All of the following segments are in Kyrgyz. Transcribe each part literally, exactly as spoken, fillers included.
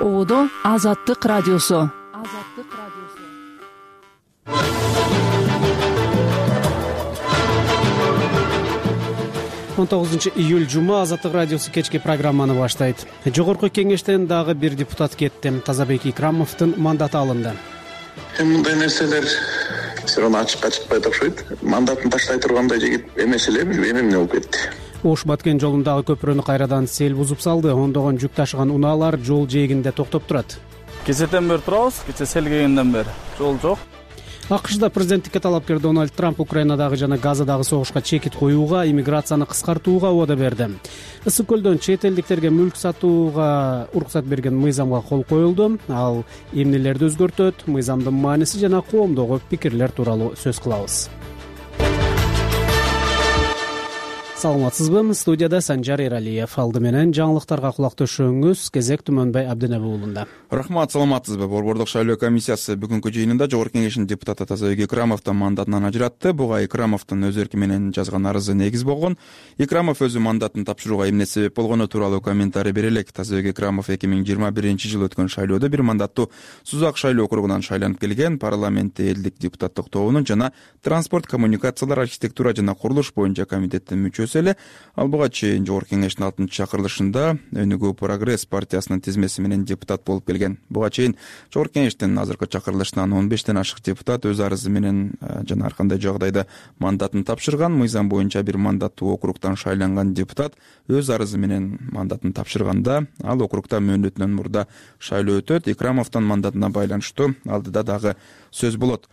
Оодо Азаттык радиосу. он тогузунчу июль жума, Азаттык радиосу кечки программаны баштайт. Жогорку кеңештен дагы бир депутат кетти. Тазабек Икрамовдун мандаты алынды. Мындай нерселер сирон ачыкка чыкпайт окшойт. Мандатын таштай тургандай жигит эмес эле, билбейм эмне болуп кетти. Ош-Баткен жолундагы көпүрөнү кайрадан сел бузуп салды. Ондогон жүк ташыган унаалар жол жээгинде токтоп турат. Кечеден бери турабыз, кече сел келгенден бери жол жок. АКШда президенттикке талапкер Дональд Трамп Украинадагы жана Газадагы согушка чекит коюуга, иммиграцияны кыскартууга убада берди. Ысык көлдөн чет элдиктерге мүлк сатууга уруксат берген мыйзамга кол коюлду. Ал эмнелерди өзгөртөт, мыйзамдын мааниси жана коомдогу пикирлер тууралуу сөз кылабыз. Саламатсызбы? Студияда Санжар Эралиев. Алды менен жаңылыктарга кулак төшөңүз. Кезек Түмөнбай Абдинеби уулунда. Рахмат, саламатсызбы? Борбордук шайлоо комиссиясы бүгүнкү жыйынында Жогорку кеңештин депутаты Тазабек Икрамовдун мандатынан ажыратты. Буга Икрамовдун өз эрки менен жазган арызы негиз болгон. Икрамов өзү мандатын тапшырууга эмне себеп болгону тууралуу комментарий бере элек. Тазабек Икрамов эки миң жыйырма биринчи жылы өткөн шайлоодо бир мандаттуу Сузак шайлоо округунан шайланып келген. Парламентте элдик депутаттык тобунун жана транспорт, коммуникациялар, архитектура жана курулуш боюнча комитеттин мүчөсү эле. Ал буга чейин Жогорку кеңештин алтынчы чакырылышында Өнүгүү Прогресс партиясынын тизмеси менен депутат болуп келген. Буга чейин Жогорку кеңештин азыркы чакырылышынан он бештен ашык депутат өз арызы менен жана ар кандай жагдайда мандатын тапшырган. Мыйзам боюнча бир мандаттуу округтан шайланган депутат өз арызы менен мандатын тапшырганда ал округда мөөнөтүнөн мурда шайлоо өтөт. Икрамовдун мандатына байланыштуу алдыда дагы сөз болот.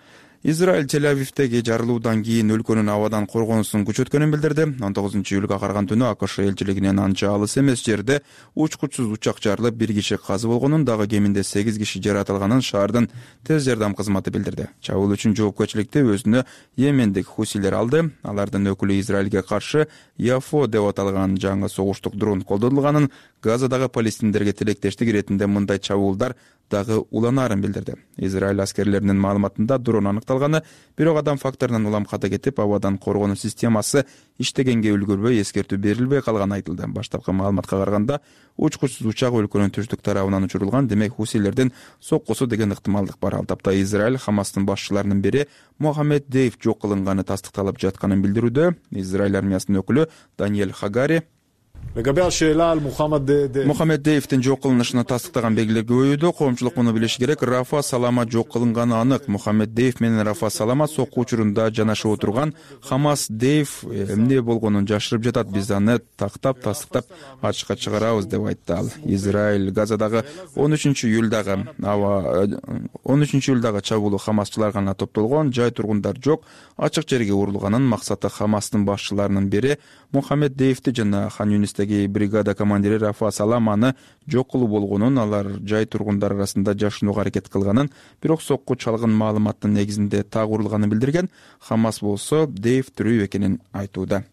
Израиль Тель-Авивдеги жарылуудан кийин өлкөнүн абадан коргонусун күчөткөнүн билдирди. он тогузунчу июлга караган түнү АКШ элчилигинен анча алыс эмес жерде учкучсуз учак жарылып, бир киши казы болгонун, дагы кеминде сегиз киши жаратылганын шаардын тез жардам кызматы билдирди. Чабуул үчүн жоопкерчиликти өзүнө Йемендик хусилер алды. Алардын өкүлү Израилге каршы Яфо деп аталган жаңы согуштук дрон колдонулганын, Газадагы палестиндерге тилектештик иретинде мындай чабуулдар дагы уланаарын билдирди. Израиль аскерлеринин маалыматында дрон аныкталганы, бирок адам факторунан улам ката кетип, абадан коргонуу системасы иштегенге үлгүрбөй, эскертүү берилбей калганы айтылды. Баштапкы маалыматка караганда, учкучсуз учак өлкөнүн түштүк тарабынан учурулган, демек хусилердин соккусу деген ыктымалдык бар. Ал тапта Израиль Хамастын башчыларынын бири Мохаммед Дейв жок кылынганы тастыкталып жатканын билдирүүдө. Израиль армиясынын өкүлү Даниэль Хагари Мохаммед Дейвдин жок кылынышына тастыктаган белгилер көбөйүүдө. Коомчулук муну билиши керек. Рафа Салама жок кылынганы анык. Мохаммед Дейв менен Рафа Салама сокку учурунда жанашып отурган. Хамас Дейв эмне болгонун жашырып жатат. Биз аны тактап, тастыктап ачыкка чыгарабыз деп айтты ал. Израиль Газадагы он үчүнчү июлдагы аба он үчүнчү июлдагы чабуулу Хамасчылар гана топтолгон, жай тургундар жок, ачык жерге урулганын максаты Хамастын башчыларынын бири Мохаммед Дейвди жана Хан Юнистеги бригада командири Рафа Саламаны жок кылуу болгонун, алар жай тургундар арасында жашынууга аракет кылганын, бирок сокку чалгын маалыматтын негизинде так урулганын билдирген. Хамас болсо Дейв тирүү экенин айтууда.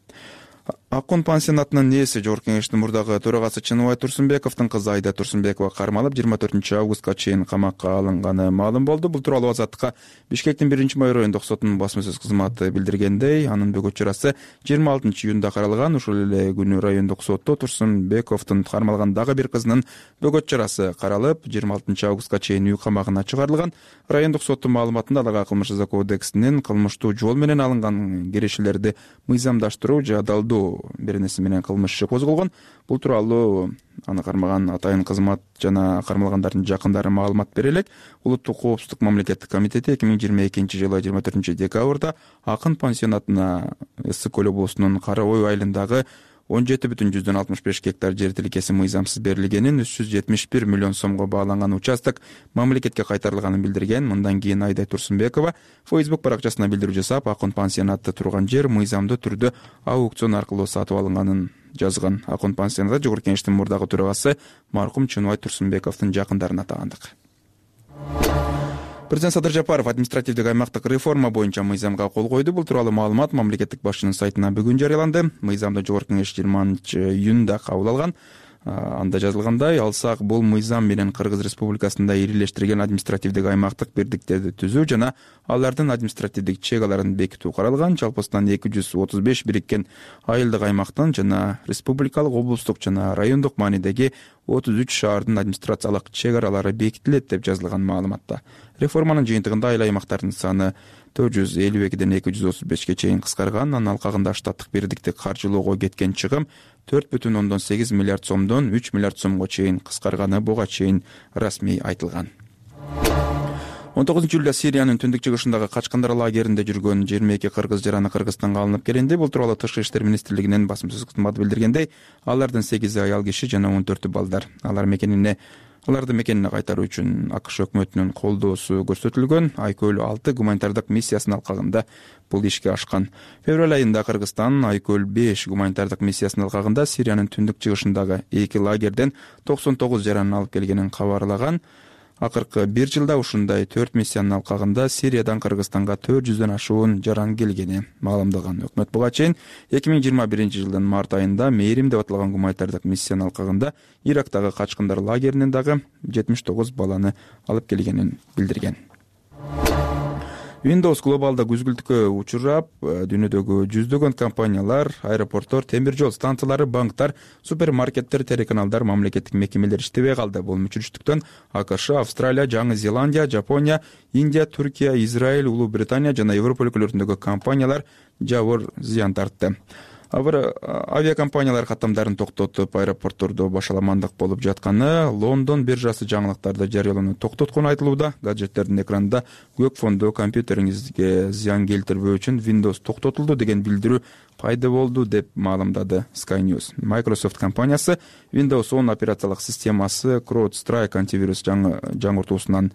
Аккун пансионатынын ээси Жогорку кеңештин мурдагы төрагасы Чыныбай Турсунбековдун кызы Айда Турсунбекова кармалып жыйырма төртүнчү августка чейин камакка алынганы маалым болду. Бул тууралуу Азаттыкка Бишкектин биринчи май райондук сотунун басма сөз кызматы билдиргендей, анын бөгөт чарасы жыйырма алтынчы июнда каралган. Ушул эле күнү райондук сотто Турсунбековдун кармалган дагы бир кызынын бөгөт чарасы каралып, жыйырма алтынчы августка чейин үй камагына чыгарылган. Райондук соттун маалыматында аларга кылмыш жаза кодексинин кылмыштуу жол менен алынган кирешелерди мыйзамдаштыруу же адалдоо беренеси менен кылмыш иши козголгон. Бул тууралуу аны кармаган атайын кызмат жана кармалгандардын жакындары маалымат бере элек. Улуттук коопсуздук мамлекеттик комитети эки миң жыйырма экинчи жылы жыйырма төртүнчү декабрда Акын пансионатына Ысык көл облусунун Кара Ой айылындагы он жети бүтүн жүздөн алтымыш беш гектар жер тилкеси мыйзамсыз берилгенин, үч жүз жетимиш бир миллион сомго бааланган участок мамлекетке кайтарылганын билдирген. Мындан кийин Айда Турсунбекова Facebook баракчасына билдирүү жасап, Акын пансионатта турган жер мыйзамдуу түрдө аукцион аркылуу сатып алынганын жазган. Акын пансионатта Жогорку кеңештин мурдагы төрагасы маркум Чыныбай Турсунбековдун жакындарына атагандык. Президент Садыр Жапаров административдик аймактык реформа боюнча мыйзамга кол койду. Бул тууралуу маалымат мамлекеттик башчынын сайтына бүгүн жарыяланды. Мыйзамды Жогорку кеңеш жыйырманчы июнда кабыл алган. Анда жазылгандай, алсак бул мыйзам менен Кыргыз Республикасында ирилештирилген административдик аймактык бирдиктерди түзүү жана алардын административдик чек-аларын бекитүү каралган. Жалпысынан эки жүз отуз беш бириккен айылдык аймактын жана республикалык, облустук жана райондук маанидеги отуз үч шаардын администрациялык чек-аралары бекитилет деп жазылган маалыматта. Реформанын жыйынтыгында айыл аймактардын саны төрт жүз элүү экиден эки жүз отуз бешке чейин кыскарган. Анын алкагында штаттык бирдикти каржылоого кеткен чыгым төрт бүтүн ондон сегиз миллиард сомдон үч миллиард сомго чейин кыскарганы буга чейин расмий айтылган. он тогузунчу июлда Сириянын түндүк чыгышындагы качкындар лагеринде жүргөн жыйырма эки кыргыз жараны Кыргызстанга алынып келинди. Бул тууралуу Тышкы иштер министрлигинин басмасөз кызматы билдиргендей, алардын сегизи аял киши жана он төртү балдар. Алар мекенине Аларды мекенине кайтаруу үчүн АКШ өкмөтүнүн колдоосу көрсөтүлгөн. Айкөл алты гуманитардык миссиясынын алкагында бул ишке ашкан. Февраль айында Кыргызстан Айкөл беш гуманитардык миссиясынын алкагында Сириянын түндүк чыгышындагы эки лагерден токсон тогуз жаранын алып келгенин кабарлаган. Акыркы бир жылда ушундай төрт миссиянын алкагында Сириядан Кыргызстанга төрт жүздөн ашуун жаран келгени маалымдалган. Өкмөт буга чейин эки миң жыйырма биринчи жылдын март айында Мээрим деп аталган гуманитардык миссиянын алкагында Ирактагы качкындар лагеринен дагы жетимиш тогуз баланы алып келгенин билдирген. Windows глобалда күзгүлтүккө учурап, дүйнөдөгү жүздөгөн компаниялар, аэропорттор, темир жол станциялары, банктар, супермаркеттер, телеканалдар, мамлекеттик мекемелер иштебей калды. Бул мүчүрүштүктөн АКШ, Австралия, Жаңы Зеландия, Жапония, Индия, Түркия, Израиль, Улуу Британия жана Европа өлкөлөрүндөгү компаниялар жабыр зыян тартты. Авиакомпаниялар каттамдарын токтотуп, аэропорттордо башаламандык болуп жатканы, Лондон биржасы жаңылыктарды жарыялоону токтоткону айтылууда. Гаджеттердин экранында көк фондо компьютериңизге зыян келтирбөө үчүн Windows токтотулду деген билдирүү пайда болду деп маалымдады Sky News. Microsoft компаниясы Windows он операциялык системасы CrowdStrike антивирус жаңыртуусунан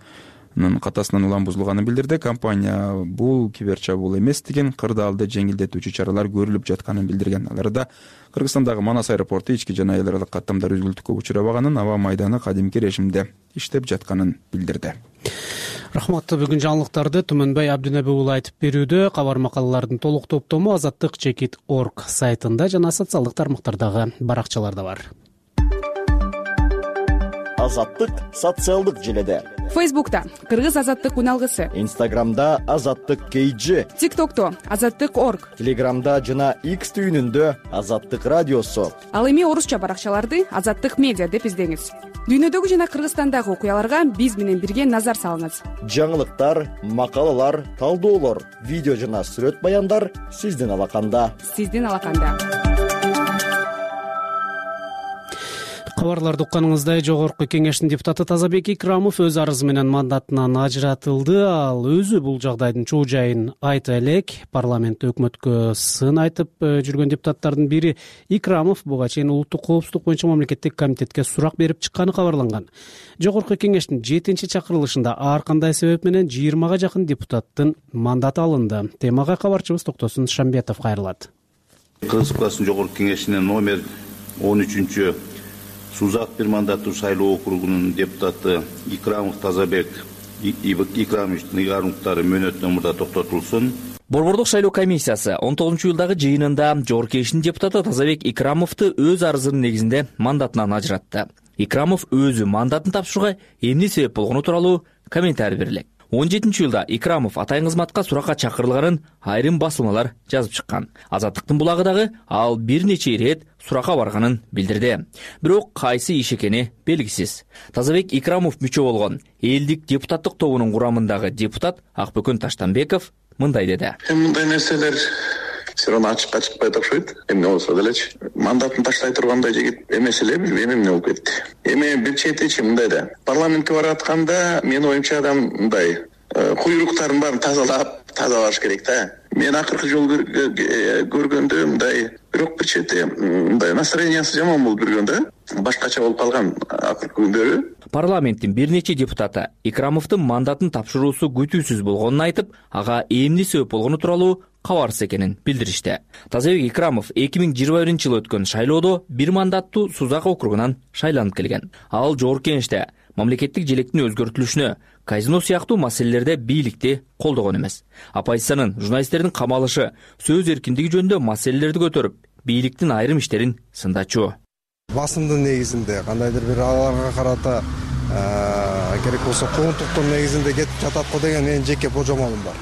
катасынан улам бузулганын билдирди. Компания бул киберчабуул эмес деген кырдаалды жеңилдетүүчү чаралар көрүлүп жатканын билдирген. Аларда Кыргызстандагы Манас аэропорту ички жана эл аралык каттамдар үзгүлтүккө учурабаганын, аба майданы кадимки режимде иштеп жатканын билдирди. Рахмат. Бүгүн жаңылыктарды Түмөнбай Абдинеби уулу айтып берүүдө. Кабар макалалардын толук топтому азаттык чекит точка орг сайтында жана социалдык тармактардагы баракчаларда бар. Азаттык социалдык желеде. Фейсбукта Кыргыз азаттык уналгысы. Инстаграмда Азаттык Кейджи. ТикТокто Азаттык точка орг. Телеграмда жана X түйүнүндө Азаттык радиосу. Ал эми орусча баракчаларды Азаттык медиа деп издеңиз. Дүйнөдөгү жана Кыргызстандагы окуяларга биз менен бирге назар салыңыз. Жаңылыктар, макалалар, талдоолор, видео жана сүрөт баяндар сиздин алаканда. Сиздин алаканда. Кабарларды укканыңыздай, Жогорку Кеңештин депутаты Тазабек Икрамов өз арызы менен мандатынан ажыратылды. Ал өзү бул жагдайдын чоо жайын айта элек. Парламентте өкмөткө сын айтып жүргөн депутаттардын бири Икрамов буга чейин улуттук коопсуздук боюнча мамлекеттик комитетке сурак берип чыкканы кабарланган. Жогорку Кеңештин жетинчи чакырылышында ар кандай себеп менен жыйырмага жакын депутаттын мандаты алынды. Темага кабарчыбыз Токтосун Шамбетов кайрылат. Кыргыз Республикасынын Жогорку Кеңешинин номер он үчүнчү Сузак бир мандаттуу шайлоо округунун депутаты Икрамов Тазабек Икрамовичтин ыйгарымдыктары мөөнөттөн мурда токтотулсун. Борбордук шайлоо комиссиясы он тогузунчу июлдагы жыйынында Жогорку Кеңештин депутаты Тазабек Икрамовду өз арызынын негизинде мандатынан ажыратты. Икрамов өзү мандатын тапшырууга эмне себеп болгону тууралуу комментарий берилет. он жетинчи июлда Икрамов атайын кызматка суракка чакырылганын айрым басылмалар жазып чыккан. Азаттыктын булагыдагы ал бир нече ирет суракка барганын билдирди. Бирок кайсы иш экени белгисиз. Тазабек Икрамов мүчө болгон элдик депутаттык тобунун курамындагы депутат Акбөкөн Таштанбеков мындай деди. Мындай нерселер сирон ачыкка чыкпайт окшойт. Эмне болсо делечи. Мандатын таштай тургандай жигит эмес эле, билбейм эмне болуп кетти. Эми бир четичи мындай да. Парламентке баратканда менин оюмча адам мындай куйруктарын баарын тазалап, таза барыш керек да. Мен акыркы жолу көргөндө мындай, бирок бир чети мындай настроениясы жаман болуп жүргөн да. Башкача болуп калган акыркы күндөрү. Парламенттин бир нече депутаты Икрамовдун мандатын тапшыруусу күтүүсүз болгонун айтып, ага эмне себеп болгону тууралуу кабарсыз экенин билдиришти. Тазабек Икрамов эки миң жыйырма биринчи жылы өткөн шайлоодо бир мандаттуу Сузак округунан шайланып келген. Ал Жогорку Кеңеште мамлекеттик желектин өзгөртүлүшүнө, казино сыяктуу маселелерде бийликти колдогон эмес. Оппозициянын, журналисттердин камалышы, сөз эркиндиги жөнүндө маселелерди көтөрүп, бийликтин айрым иштерин сындачу. басымдын негизинде кандайдыр бир аларга карата керек болсо куугунтуктун негизинде кетип жатат го деген менин жеке божомолум бар.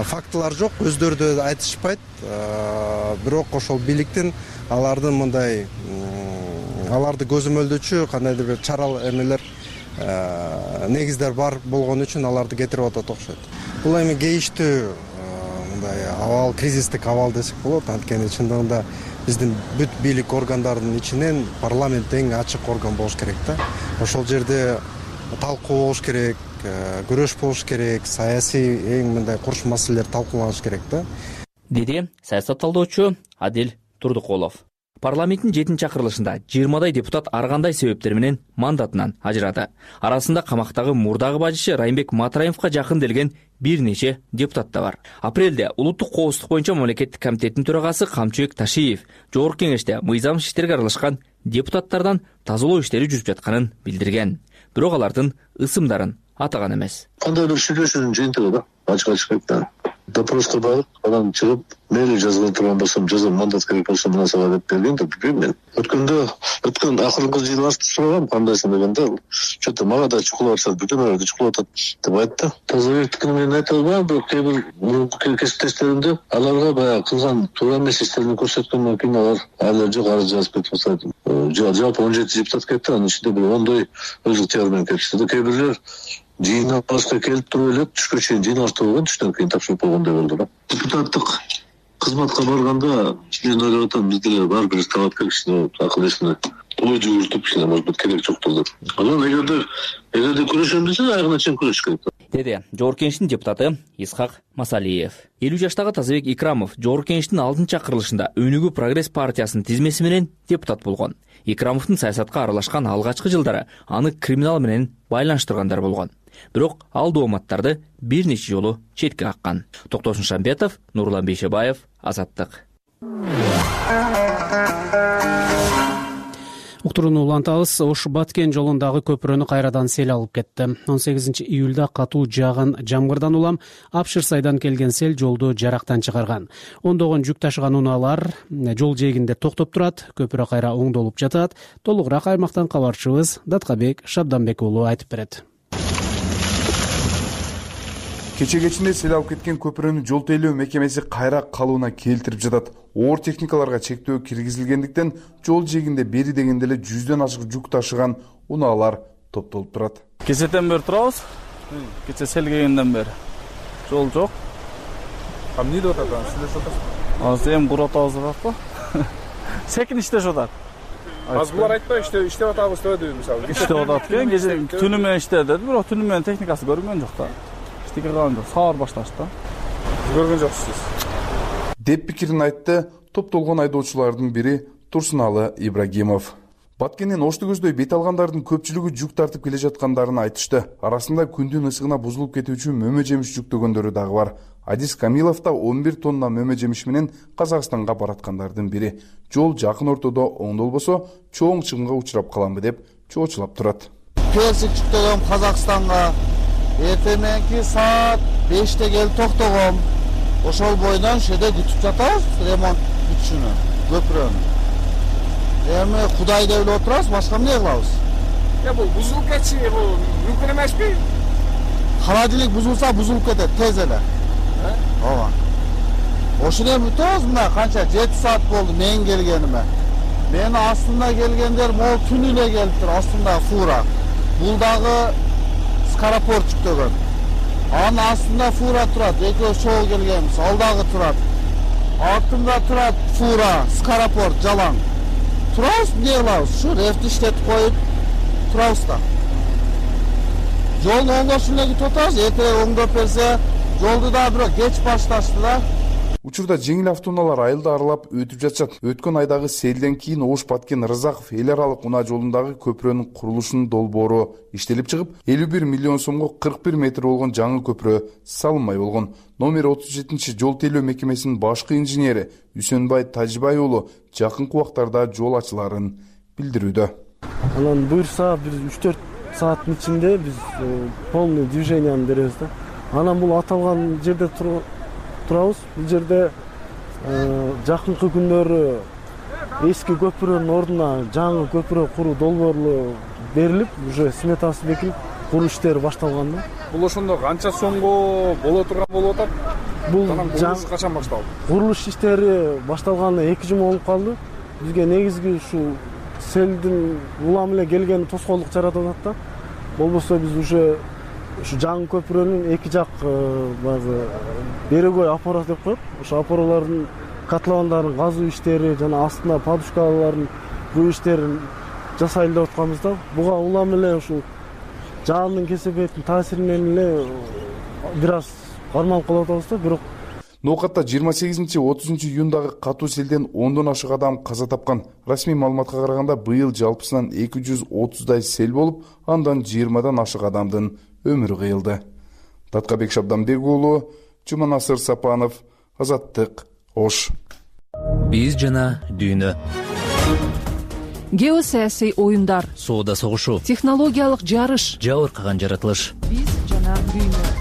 Фактылар жок, өздөрү да айтышпайт. Бирок ошол бийликтин алардын мындай аларды көзөмөлдөөчү кандайдыр бир чарал эмелер негиздер бар болгон үчүн аларды кетирип атат окшойт. Бул эми кейиштүү мындай абал, кризистик абал десек болот. Анткени чындыгында биздин бүт бийлик органдарынын ичинен парламент эң ачык орган болуш керек да. Ошол жерде талкуу болуш керек, күрөш болуш керек, саясий эң мындай курч маселелер талкууланыш керек да. Деди саясат талдоочу Адил Турдукулов. Парламенттин жетинчи чакырылышында жыйырмадай депутат ар кандай себептер менен мандатынан ажырады. Арасында камактагы мурдагы бажычы Райымбек Матраимовго жакын делген бир нече депутат да бар. Апрелде улуттук коопсуздук боюнча мамлекеттик комитеттин төрагасы Камчыбек Ташиев жогорку кеңеште мыйзам иштерге аралашкан депутаттардан тазалоо иштери жүрүп жатканын билдирген. Бирок алардын ысымдарын атаган эмес. Кандайдыр сүйлөшүүнүн жыйынтыгы да, ачык-ачык да. Допроска барып, анан чыгып, мээли жазгыла турган болсом, жазам, мандат керек болсо мына сага деп берген да, билбейм мен. Өткөндө, өткөн акыркы жыйналышты сурагам, кандайсың дегенде, чөтө мага да чукулап атат, бүтүнөрдү чукулап атат деп айтты. Тазабектикини мен айта албайм, бирок кээ бир кесиптештеримде аларга баягы кылган туура эмес иштерин көрсөткөндөн кийин алар айлар жок арыз жазып кетип атат. Жалпы он жети депутат кетти, анын ичинде бир ондой өз ыктыяры менен кетишти. Кээ бирлер жыйналышка келип туруп элек түшкө чейин жыйналышта болгон, түштөн кийин тапшырып болгондой болду да. Депутаттык кызматка барганда мен ойлоп атам, бизде бар бир талапкер кишине акыл эсине ой жүгүртүп, кичине может быть керек жоктур деп. Анан эгерде эгерде күрөшөм десе, аягына чейин күрөш керек. Деди жогорку кеңештин депутаты Исхак Масалиев. элүү жаштагы Тазабек Икрамов жогорку кеңештин алтынчы чакырылышында Өнүгүү прогресс партиясынын тизмеси менен депутат болгон. Икрамовдун саясатка аралашкан алгачкы жылдары аны криминал менен байланыштыргандар болгон. Бирок ал дооматтарды бир нече жолу четке каккан. Токтосун Шамбетов, Нурлан Бейшебаев, Азаттык. Уктурууну улантабыз. Ош Баткен жолундагы көпүрөнү кайрадан сел алып кетти. он сегизинчи июлда катуу жааган жамгырдан улам Апшыр сайдан келген сел жолду жарактан чыгарган. Ондогон жүк ташыган унаалар жол жээгинде токтоп турат, көпүрө кайра оңдолуп жатат. Толугураак аймактан кабарчыбыз Даткабек Шабданбек уулу айтып берет. Кече кечинде сел алып кеткен көпүрөнү жол тейлөө мекемеси кайра калууна келтирип жатат. Оор техникаларга чектөө киргизилгендиктен жол жээгинде бери дегенде эле жүздөн ашык жүк ташыган унаалар топтолуп турат. Кечеден бери турабыз. Кече сел келгенден бери жол жок. А эмне деп атат анан? Сиздер жатасызбы? Азыр эми куруп атабыз деп атпы? Секин иштешип атат. Азыр булар айтпай иштеп иштеп атабыз деди мисалы. Иштеп атат экен, кече түнү менен иштеди деди, бирок түнү менен техникасы көрүнгөн жок да. Кылган жок, саар башташты да. Көргөн жоксуз деп пикирин айтты топтолгон айдоочулардын бири Турсуналы Ибрагимов. Баткенден Ошто көздөй бет алгандардын көпчүлүгү жүк тартып келе жаткандарын айтышты. Арасында күндүн ысыгына бузулуп кетүүчү мөмө жемиш жүктөгөндөрү дагы бар. Адис Камилов да он бир тонна мөмө жемиш менен Казакстанга бараткандардын бири. Жол жакын ортодо оңдолбосо чоң чыгымга учурап каламбы деп чоочулап турат. Персик жүктөгөн Казакстанга эртеменки саат беште келип токтогом. Ошол бойдон шеде күтүп жатабыз ремонт бүтүшүнө, көпүрөнү. Эми Кудай деп эле отурабыз, башка эмне кылабыз? Я бул бузулуп кетси, бул мүмкүн эмеспи? Холодильник бузулса, бузулуп кетет тез эле. Ооба. Ошондо бүтөбүз мына канча жети саат болду мен келгениме. Менин астымда келгендер могу түнү эле келиптир, астымда фура. Бул дагы скоропорт жүктөгөн. Анын астында фура турат, экөө чогуу келгенбиз, ал дагы турат. Артында турат фура, скоропорт жалаң. Турабыз, эмне кылабыз? Ушу рефти иштетип коюп турабыз да. Жолду оңдошун эле күтүп атабыз, эртерээк оңдоп берсе, жолду да бирок кеч башташты да. Учурда жеңил автоунаалар айылды аралап өтүп жатышат. Өткөн айдагы селден кийин Ош Баткен Рызаков эл аралык унаа жолундагы көпүрөнүн курулушунун долбоору иштелип чыгып, элүү бир миллион сомго кырк бир метр болгон жаңы көпүрө салынмай болгон. Номер отуз жетинчи жол тейлөө мекемесинин башкы инженери Үсөнбай Тажибай уулу жакынкы убактарда жол ачыларын билдирүүдө. Анан буйрса бир үч төрт сааттын ичинде биз полный движенияны беребиз да. Анан бул аталган жерде турабыз. Бул жерде жакынкы күндөрү эски көпүрөнүн ордуна жаңы көпүрө куруу долбоору берилип, уже сметасы бекилип, куруу иштери башталган да. Бул ошондо канча сомго боло турган болуп атат? Бул курулуш качан башталды? Курулуш иштери башталганына эки жума болуп калды. Бизге негизги ушу селдин улам эле келгени тоскоолдук жаратып атат да. Болбосо биз уже ушу жаңы көпүрөнүн эки жак баягы берегой опора деп коет. Ошо опоралардын котловандарын казуу иштери жана астына подушкалардын куу иштерин жасайлы деп атканбыз да. Буга улам эле ушул жаандын кесепеттин таасиринен эле бир аз кармалып калып атабыз да. Бирок ноокатта жыйырма сегизинчи отузунчу июндагы катуу селден ондон ашык адам каза тапкан. Расмий маалыматка караганда быйыл жалпысынан эки жүз отуздай сел болуп, андан жыйырмадан ашык адамдын өмүрү кыйылды. Таткабек Шабданбек уулу, Жуманасыр Сапанов, Азаттык, Ош. Биз жана дүйнө. Геосаясий оюндар, соода согушу, технологиялык жарыш, жабыркаган жаратылыш. Биз жана дүйнө.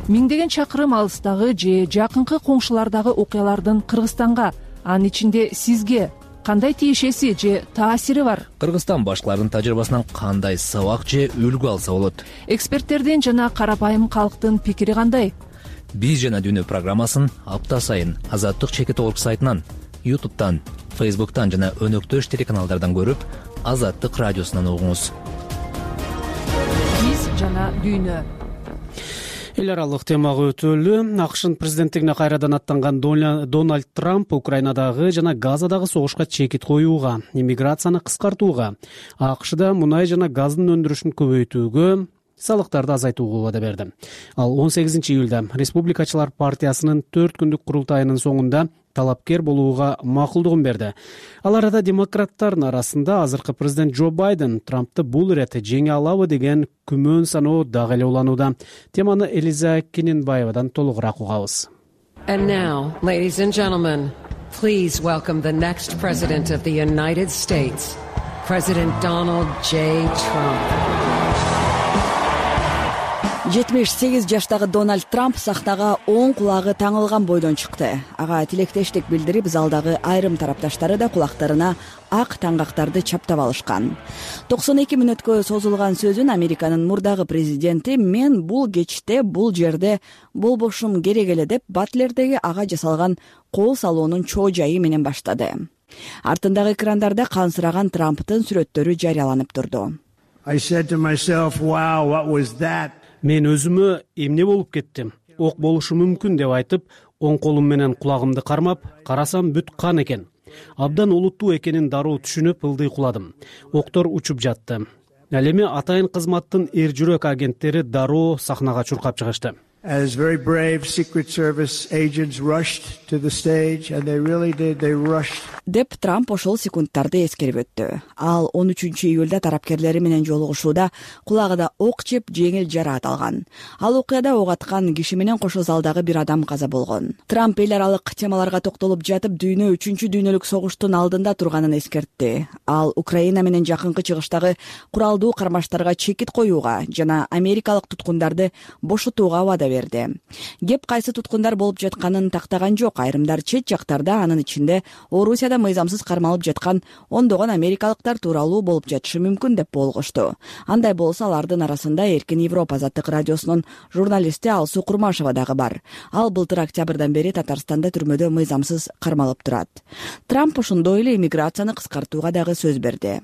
Миңдеген чакырым алыстагы же жакынкы коңшулардагы окуялардын Кыргызстанга, анын ичинде сизге кандай тиешеси же таасири бар? Кыргызстан башкаларынын тажрыйбасынан кандай сабак же үлгү алса болот? Эксперттердин жана карапайым калктын пикири кандай? Биз жана дүйнө программасын апта сайын Азаттык чекит орг сайтынан, ютубтан, фейсбуктан жана өнөктөш телеканалдардан көрүп, Азаттык радиосунан угуңуз. Биз жана дүйнө. Эл аралык темага өтөлү. АКШнын президенттигине кайрадан аттанган Дональд Трамп Украинадагы жана Газадагы согушка чекит коюуга, иммиграцияны кыскартууга, АКШда мунай жана газдын өндүрүшүн көбөйтүүгө, салыктарды азайтууга убада берди. Ал он сегизинчи июлда Республикачылар партиясынын төрт күндүк курултайынын соңунда талапкер болууга макулдугун берди. Ал арада демократтардын арасында азыркы президент Джо Байден Трампты бул ирет жеңе алабы деген күмөн саноо дагы эле уланууда. Теманы Элиза Кененбаевадан толугураак угабыз. And now, ladies and gentlemen, please welcome the next president of the United States, President Donald J. Trump. жетимиш сегиз жаштагы Дональд Трамп сахнага оң кулагы таңылган бойдон чыкты. Ага тилектештик билдирип, залдагы айрым тарапташтары да кулактарына ак таңгактарды чаптап алышкан. токсон эки мүнөткө созулган сөзүн Американын мурдагы президенти «Мен бул кечте, бул жерде болбошум керек эле» деп Батлердеги ага жасалган кол салуунун чоо жайы менен баштады. Артындагы экрандарда кансыраган Трамптын сүрөттөрү жарыяланып турду. I said to myself, wow, what was that? Мен өзүмө эмне болуп кеттим? Ок болушу мүмкүн деп айтып, оң колум менен кулагымды кармап, карасам бүт кан экен. Абдан олуттуу экенин дароо түшүнүп, ылдый куладым. Октор учуп жатты. Ал эми атайын кызматтын эр жүрөк агенттери дароо сахнага чуркап чыгышты. As very brave Secret Service agents rushed to the stage, and they really did, they rushed. Деп Трамп ошол секундтарды эскерип өттү. Ал он үчүнчү июлда тарапкерлери менен жолугушууда кулагыда ок жеп жеңил жараат алган. Ал окуяда ок аткан киши менен кошо залдагы бир адам каза болгон. Трамп эл аралык темаларга токтолуп жатып, дүйнө үчүнчү дүйнөлүк согуштун алдында турганын эскертти. Ал Украина менен жакынкы чыгыштагы куралдуу кармаштарга чекит коюуга жана америкалык туткундарды бошотууга убада берди. Кеп кайсы туткундар болуп жатканын тактаган жок. Айрымдар чет жактарда, анын ичинде Орусияда мыйзамсыз кармалып жаткан ондогон америкалыктар тууралуу болуп жатышы мүмкүн деп болгошту. Андай болсо алардын арасында Эркин Европа Азаттык радиосунун журналисти Алсуу Курмашева дагы бар. Ал былтыр октябрдан бери Татарстанда түрмөдө мыйзамсыз кармалып турат. Трамп ошондой эле иммиграцияны кыскартууга дагы сөз берди.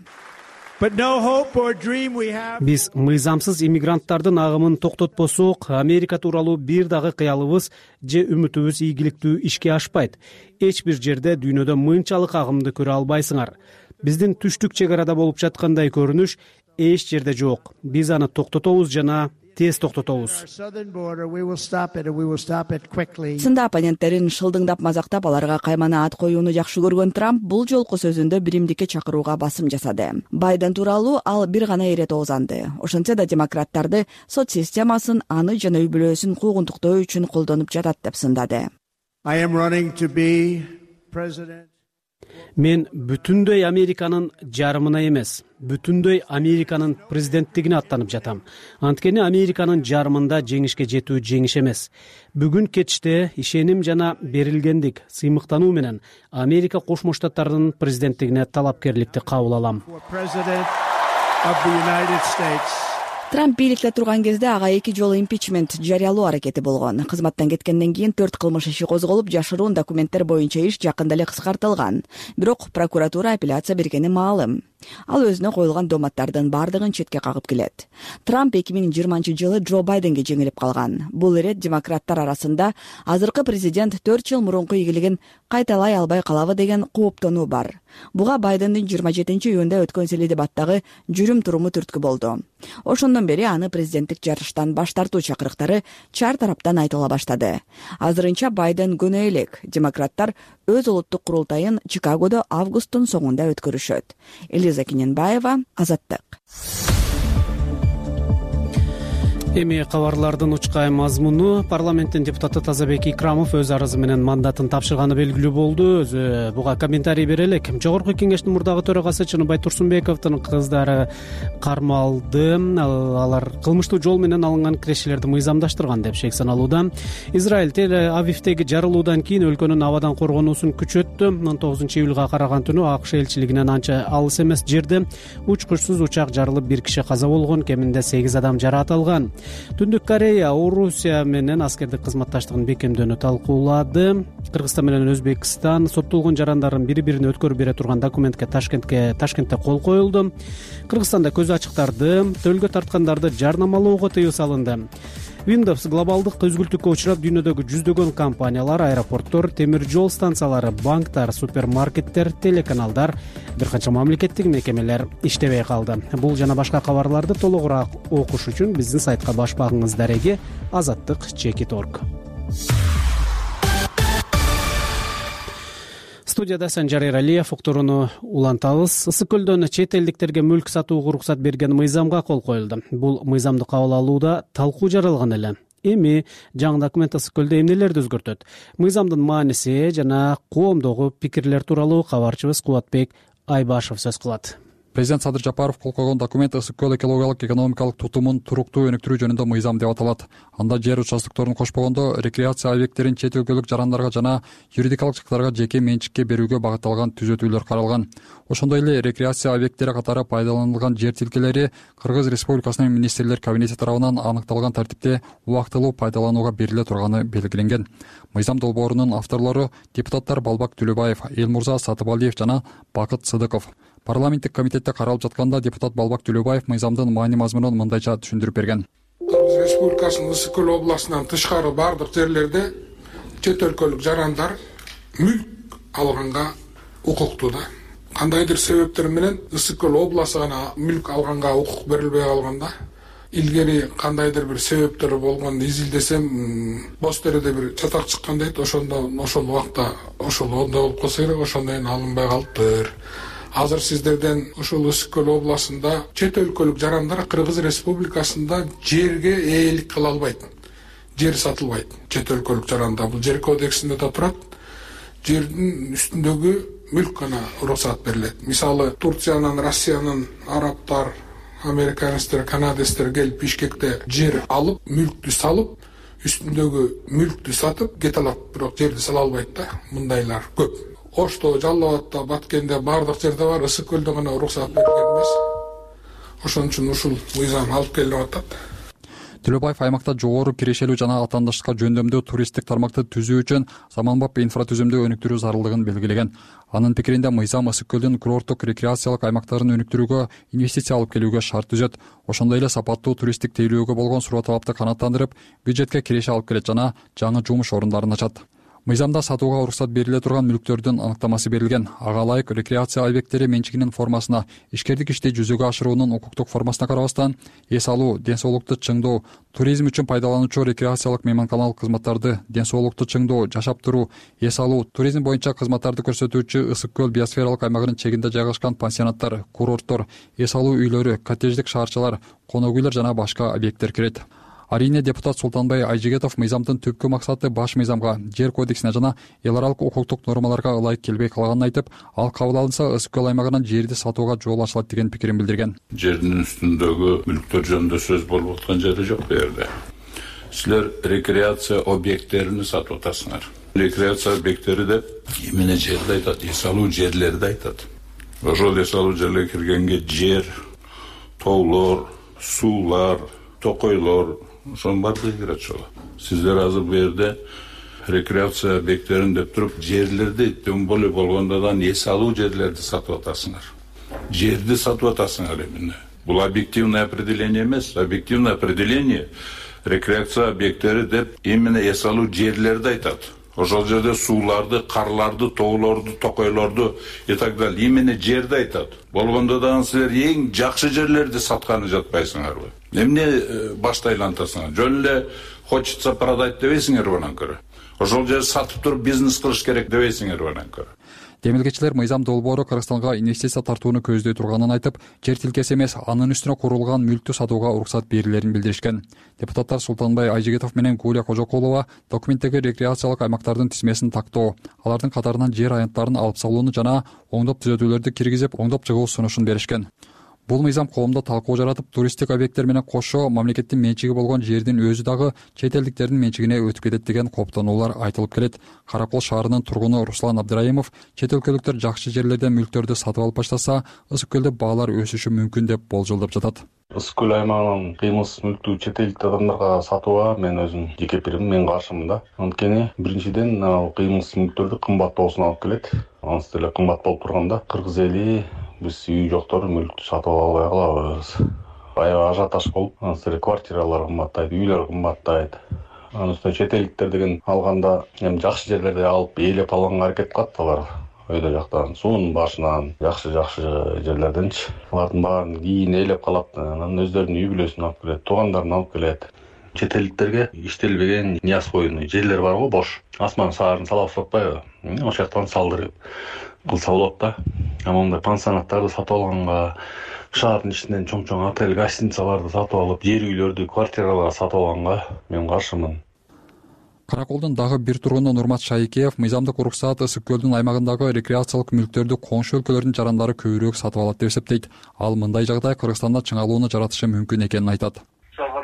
Биз мыйзамсыз иммигранттардын агымын токтотпосок, Америка тууралуу бир дагы кыялыбыз же үмүтүбүз ийгиликтүү ишке ашпайт. Эч бир жерде дүйнөдө мынчалык агымды көрө албайсыңар. Биздин түштүк чек арада болуп жаткандай көрүнүш эч жерде жок. Биз аны токтотобуз жана тез токтотобуз. Сында оппоненттерин шылдыңдап мазактап, аларга каймана ат коюуну жакшы көргөн Трамп бул жолку сөзүндө биримдикке чакырууга басым жасады. Байден тууралуу ал бир гана ирет оозанды. Ошентсе да демократтарды сот системасын аны жана үй бүлөсүн куугунтуктоо үчүн колдонуп жатат деп сындады. мен бүтүндөй Американын жарымына эмес, бүтүндөй Американын президенттигине аттанып жатам. Анткени Американын жарымында жеңишке жетүү жеңиш эмес. Бүгүн кечте ишеним жана берилгендик, сыймыктануу менен Америка Кошмо Штаттарынын президенттигине талапкерликти кабыл алам. Трамп бийликте турган кезде ага эки жолу импичмент жарыялоо аракети болгон. Кызматтан кеткенден кийин төрт кылмыш иши козголуп, жашыруун документтер боюнча иш жакында эле кыскартылган. Бирок прокуратура апелляция бергени маалым. Ал өзүнө коюлган доматтардын бардыгын четке кагып келет. Трамп эки миң жыйырманчы жылы Джо Байденге жеңилип калган. Бул ирет демократтар арасында азыркы президент төрт жыл мурунку ийгилигин кайталай албай калабы деген кооптонуу бар. Буга Байдендин жыйырма жетинчи июнда өткөн сели дебаттагы жүрүм туруму түрткү болду. Ошондон бери аны президенттик жарыштан баш тартуу чакырыктары чар тараптан айтыла баштады. Азырынча Байден күнөө элек. Демократтар өз улуттук курултайын Чикагодо августтун соңунда өткөрүшөт. Элиза Кененбаева, Азаттык. Эми кабарлардын учкай мазмуну. Парламенттин депутаты Тазабек Икрамов өз арызы менен мандатын тапшырганы белгилүү болду. Өзү буга комментарий бере элек. Жогорку кеңештин мурдагы төрагасы Чыныбай Турсунбековдун кыздары кармалды. Алар кылмыштуу жол менен алынган кирешелерди мыйзамдаштырган деп шек саналууда. Израиль Тель-Авивдеги жарылуудан кийин өлкөнүн абадан коргонуусун күчөттү. он тогузунчу июлга караган түнү АКШ элчилигинен анча алыс эмес жерде учкучсуз учак жарылып, бир киши каза болгон, кеминде сегиз адам жараат алган. Түндүк Корея Орусия менен аскердик кызматташтыгын бекемдөөнү талкуулады. Кыргызстан менен Өзбекстан соттолгон жарандардын бири-бирине өткөрүп бере турган документке Ташкентке Ташкентте кол коюлду. Кыргызстанда көз ачыктарды төлгө тарткандарды жарнамалоого тыюу салынды. Windows глобалдык үзгүлтүккө учурап, дүйнөдөгү жүздөгөн компаниялар, аэропорттор, темир жол станциялары, банктар, супермаркеттер, телеканалдар, бир канча мамлекеттик мекемелер иштебей калды. Бул жана башка кабарларды толугураак окуш үчүн биздин сайтка баш багыңыз дареги азаттык чекит точка орг. Студияда Санжар Эралиев. Уктурууну улантабыз. Ысык көлдөн чет элдиктерге мүлк сатууга уруксат берген мыйзамга кол коюлду. Бул мыйзамды кабыл алууда талкуу жаралган эле. Эми жаңы документ Ысык көлдө эмнелерди өзгөртөт? Мыйзамдын мааниси жана коомдогу пикирлер тууралуу кабарчыбыз Кубатбек Айбашев сөз кылат. Президент Садыр Жапаров кол койгон документ ысык көл экологиялык экономикалык тутумун туруктуу өнүктүрүү жөнүндө мыйзам деп аталат. Анда жер участокторун кошпогондо рекреация объекттерин чет өлкөлүк жарандарга жана юридикалык жактарга жеке менчикке берүүгө багытталган түзөтүүлөр каралган. Ошондой эле рекреация объекттери катары пайдаланылган жер тилкелери Кыргыз Республикасынын министрлер кабинети тарабынан аныкталган тартипте убактылуу пайдаланууга бериле турганы белгиленген. Мыйзам долбоорунун авторлору депутаттар Балбак Түлөбаев, Элмурза Сатыбалиев жана Бакыт Сыдыков. Парламенттик комитетте каралып жатканда депутат Балбак Түлөбаев мыйзамдын маани мазмунун мындайча түшүндүрүп берген. Кыргыз Республикасынын Ысык көл областынан тышкары бардык жерлерде чет өлкөлүк жарандар мүлк алганга укуктуу да. Кандайдыр себептер менен Ысык көл областы гана мүлк алганга укук берилбей калганда, илгери кандайдыр бир себептер болгонду изилдесем, боз тереде бир чатак чыккан дейт. Ошондо ошол убакта ошол ондой болуп калса керек, ошондон кийин алынбай калыптыр. Азыр сиздерден ушул Ысык көл областында чет өлкөлүк жарандар Кыргыз Республикасында жерге ээлик кыла албайт. Жер сатылбайт. Чет өлкөлүк жаранда бул жер кодексинде да турат. Жердин үстүндөгү мүлк гана уруксат берилет. Мисалы, Турциянын, Россиянын, арабтар, американецтер, канадецтер келип Бишкекте жер алып, мүлктү салып, үстүндөгү мүлктү сатып кете алат, бирок жерди сала албайт да. Мындайлар көп. Ошто, Жалал Абадта, Баткенде бардык жерде бар, Ысык көлдө гана уруксат берилген эмес. Ошон үчүн ушул мыйзам алып келип атат. Түлөбаев аймакта жогору кирешелүү жана атаандаштыкка жөндөмдүү туристтик тармакты түзүү үчүн заманбап инфратүзүмдү өнүктүрүү зарылдыгын белгилеген. Анын пикиринде мыйзам Ысык көлдүн курорттук рекреациялык аймактарын өнүктүрүүгө, инвестиция алып келүүгө шарт түзөт. Ошондой эле сапаттуу туристтик тейлөөгө болгон суроо талапты канааттандырып, бюджетке киреше алып келет жана жаңы жумуш орундарын ачат. Мыйзамда сатууга уруксат бериле турган мүлктөрдүн анықтамасы берилген. Ага ылайык рекреация объекттери менчигинин формасына, ишкердик ишти жүзөгө ашыруунун укуктук формасына карабастан, эс алуу, ден соолукту чыңдоо, туризм үчүн пайдалануучу рекреациялык мейманканалык кызматтарды, ден соолукту чыңдоо, жашап туруу, эс алуу, туризм боюнча кызматтарды көрсөтүүчү Ысык көл биосфералык аймагынын чегинде жайгашкан пансионаттар, курорттор, эс алуу үйлөрү, коттедждик шаарчалар, конок үйлөр жана башка объекттер кирет. Арийне депутат Султанбай Айжигетов мыйзамдын түпкү максаты баш мыйзамга, жер кодексине жана эл аралык укуктук нормаларга ылайык келбей калганын айтып, ал кабыл алынса ысык көл аймагынан жерди сатууга жол ачылат деген пикирин билдирген. Жердин үстүндөгү мүлктөр жөнүндө сөз болуп аткан жери жок бу жерде. Силер рекреация объекттерин сатып атасыңар. Рекреация объекттери деп эмне жерди айтат, эс алуу жерлерди айтат. Ошол эс алуу жерлерге киргенге жер, тоолор, суулар, токойлор, ошонун баардыгы кирет ошол. Сиздер азыр бу жерде рекреация объекттерин деп туруп, жерлерди тем более болгондо да эс алуу жерлерди сатып атасыңар. Жерди сатып атасыңар эмне? Бул объективное определение эмес, объективное определение рекреация объекттери деп эмне эс алуу жерлерди айтат. Ошол жерде сууларды, карларды, тоолорду, токойлорду и так далее эмне жерди айтат. Болгондо да силер эң жакшы жерлерди сатканы жатпайсыңарбы? Эмне башты айлантасыңар? Жөн эле хочется продать дебейсиңерби анан көрө? Ошол жерди сатып туруп бизнес кылыш керек дебейсиңерби анан көрө? Демилгечилер мыйзам долбоору Кыргызстанга инвестиция тартууну көздөй турганын айтып, жер тилкеси эмес, анын үстүнө курулган мүлктү сатууга уруксат берилерин билдиришкен. Депутаттар Султанбай Айжигетов менен Гулия Кожокулова документтеги рекреациялык аймактардын тизмесин тактоо, алардын катарынан жер аянттарын алып салууну жана оңдоп түзөтүүлөрдү киргизип, оңдоп чыгуу сунушун беришкен. Бул мыйзам коомдо талкуу жаратып, туристтик объекттер менен кошо мамлекеттин менчиги болгон жердин өзү дагы чет элдиктердин менчигине өтүп кетет деген кооптонуулар айтылып келет. Каракол шаарынын тургуну Руслан Абдыраимов чет өлкөлүктөр жакшы жерлерден мүлктөрдү сатып алып баштаса, ысык көлдө баалар өсүшү мүмкүн деп болжолдоп жатат. Ысык көл аймагынын кыймылсыз мүлктү чет элдик адамдарга сатууга мен өзүм жеке пикирим, мен каршымын да. Анткени биринчиден ал кыймылсыз мүлктөрдү кымбаттоосуна алып келет. Анысы деле кымбат болуп турганда кыргыз эли биз үй жоктор мүлктү сатып албай калабыз. Аябай ажиотаж болуп, анысы деле квартиралар кымбаттайт, үйлөр кымбаттайт. Анын үстүнө чет элдиктер деген алганда эми жакшы жерлерди алып ээлеп алганга аракет кылат алар. Өйдө жактан, суунун башынан, жакшы-жакшы жерлерденчи. Алардын баарын кийин ээлеп калат, анан өздөрүнүн үй бүлөсүн алып келет, туугандарын алып келет. Чет элдиктерге иштелбеген Нияз койуну жерлер бар го, бош. Асман шаарын салабыз деп атпайбы? Ошол жактан салдырып кылса болот да. Амандай пансионаттарды сатып алганга, шаардын ичинен чоң-чоң отель, гостиницаларды сатып алып, жер үйлөрдү, квартиралар сатып алганга мен каршымын. Караколдун дагы бир тургуну Нурмат Шайкеев мыйзамдык уруксаат ысык көлдүн аймагындагы рекреациялык мүлктөрдү коңшу өлкөлөрдүн жарандары көбүрөөк сатып алат деп эсептейт. Ал мындай жагдай Кыргызстанда чыңалууну жаратышы мүмкүн экенин айтат.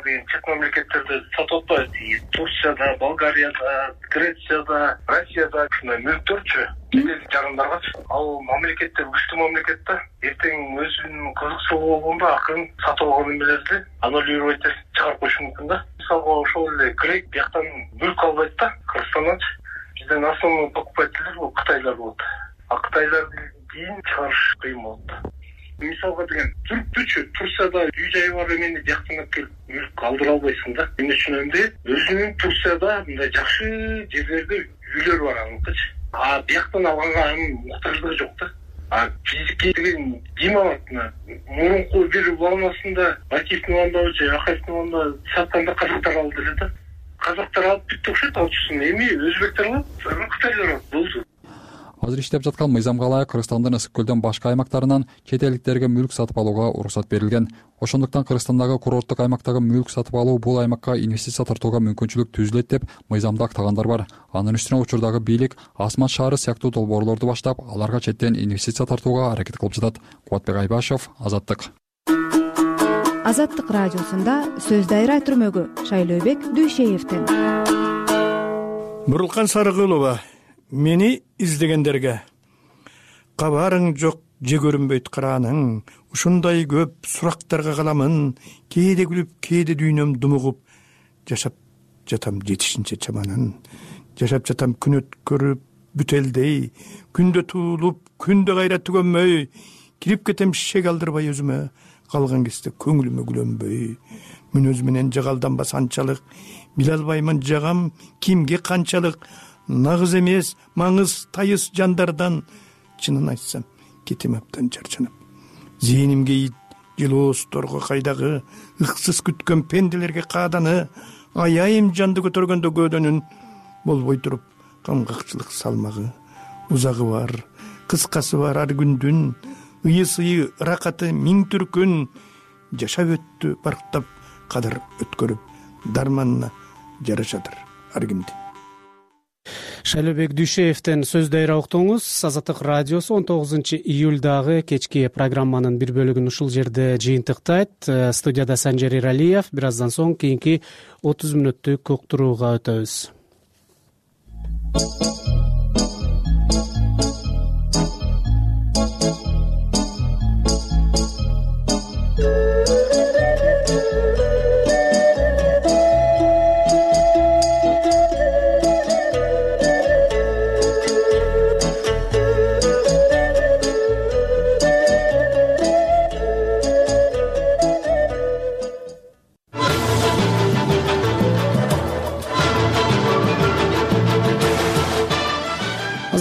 Чет мамлекеттерде сатып атпайбыз. Турцияда, Болгарияда, Грецияда, Россияда ушундай мүлктөрчү чет жарандаргачы. Ал мамлекеттер күчтүү мамлекет да. Эртең өзүнүн кызыкчылыгы болгондо акырын сатып алган эмелерди аннулировать этип чыгарып коюшу мүмкүн да. Мисалга ошол эле грек бияктан мүлк албайт да, Кыргызстанданчы. Бизден основной покупательдер бул кытайлар болот. А кытайларды кийин чыгарыш кыйын болот. Мисалга деген түрктүчү Турцияда үй жай бар эмени жактан алып келип мүлк алдыра албайсың да. Эмне үчүн эмне? Өзүнүн Турцияда мындай жакшы жерлерде үйлөр бар аныкычы. А бияктан алганга анын муктаждыгы жок да. А физикий деген ким алат? Мурунку бир волнасында Акиевдин волнасында же Акаевдин волнасында сатканда казактар алды эле да. Казактар алып бүттү окшойт, алчысын эми өзбектер алат, кытайлар алат. Болду. Азыр иштеп жаткан мыйзамга ылайык Кыргызстандын ысык көлдөн башка аймактарынан чет элдиктерге мүлк сатып алууга уруксат берилген. Ошондуктан Кыргызстандагы курорттук аймактагы мүлк сатып алуу бул аймакка инвестиция тартууга мүмкүнчүлүк түзүлөт деп мыйзамда актагандар бар. Анын үстүнө учурдагы бийлик Асман шаары сыяктуу долбоорлорду баштап, аларга четтен инвестиция тартууга аракет кылып жатат. Кубатбек Айбашев, Азаттык. Азаттык радиосунда сөз дайра түрмөгү Шайлообек Дүйшеевден. Бурулкан Сарыгулова, мени издегендерге кабарың жок, же көрүнбөйт карааның, ушундай көп сурактарга каламын, кээде күлүп, кээде дүйнөм думугуп, жашап жатам жетишинче чаманын, жашап жатам күн өткөрүп бүтелдей, күндө туулуп, күндө кайра түгөнмөй, кирип кетем шек алдырбай өзүмө, калган кезде көңүлүмө күлөнбөй, мүнөз менен жагалданбас анчалык, биле албаймын жагам кимге канчалык, нагыз эмес, маңыз тайыс жандардан, чынын айтсам, кетем аптан чарчанып. Зээнимге ит, жылоосторго кайдагы, ыксыз күткөн пенделерге кааданы, аяйым жанды көтөргөндө көөдөнүн, болбой туруп, камгакчылык салмагы, узагы бар, кыскасы бар ар күндүн, ыйы-сыйы, ракаты миң түркүн, жашап өттү барктап, кадыр өткөрүп, дарманына жарашадыр ар кимдин. Шайлообек Дүйшеевден сөз дайра уктуңуз. Азаттык радиосу он тогузунчу июлдагы кечки программанын бир бөлүгүн ушул жерде жыйынтыктайт. Студияда Санжар Иралиев. Бир аздан соң кийинки отуз мүнөттүк уктурууга өтөбүз.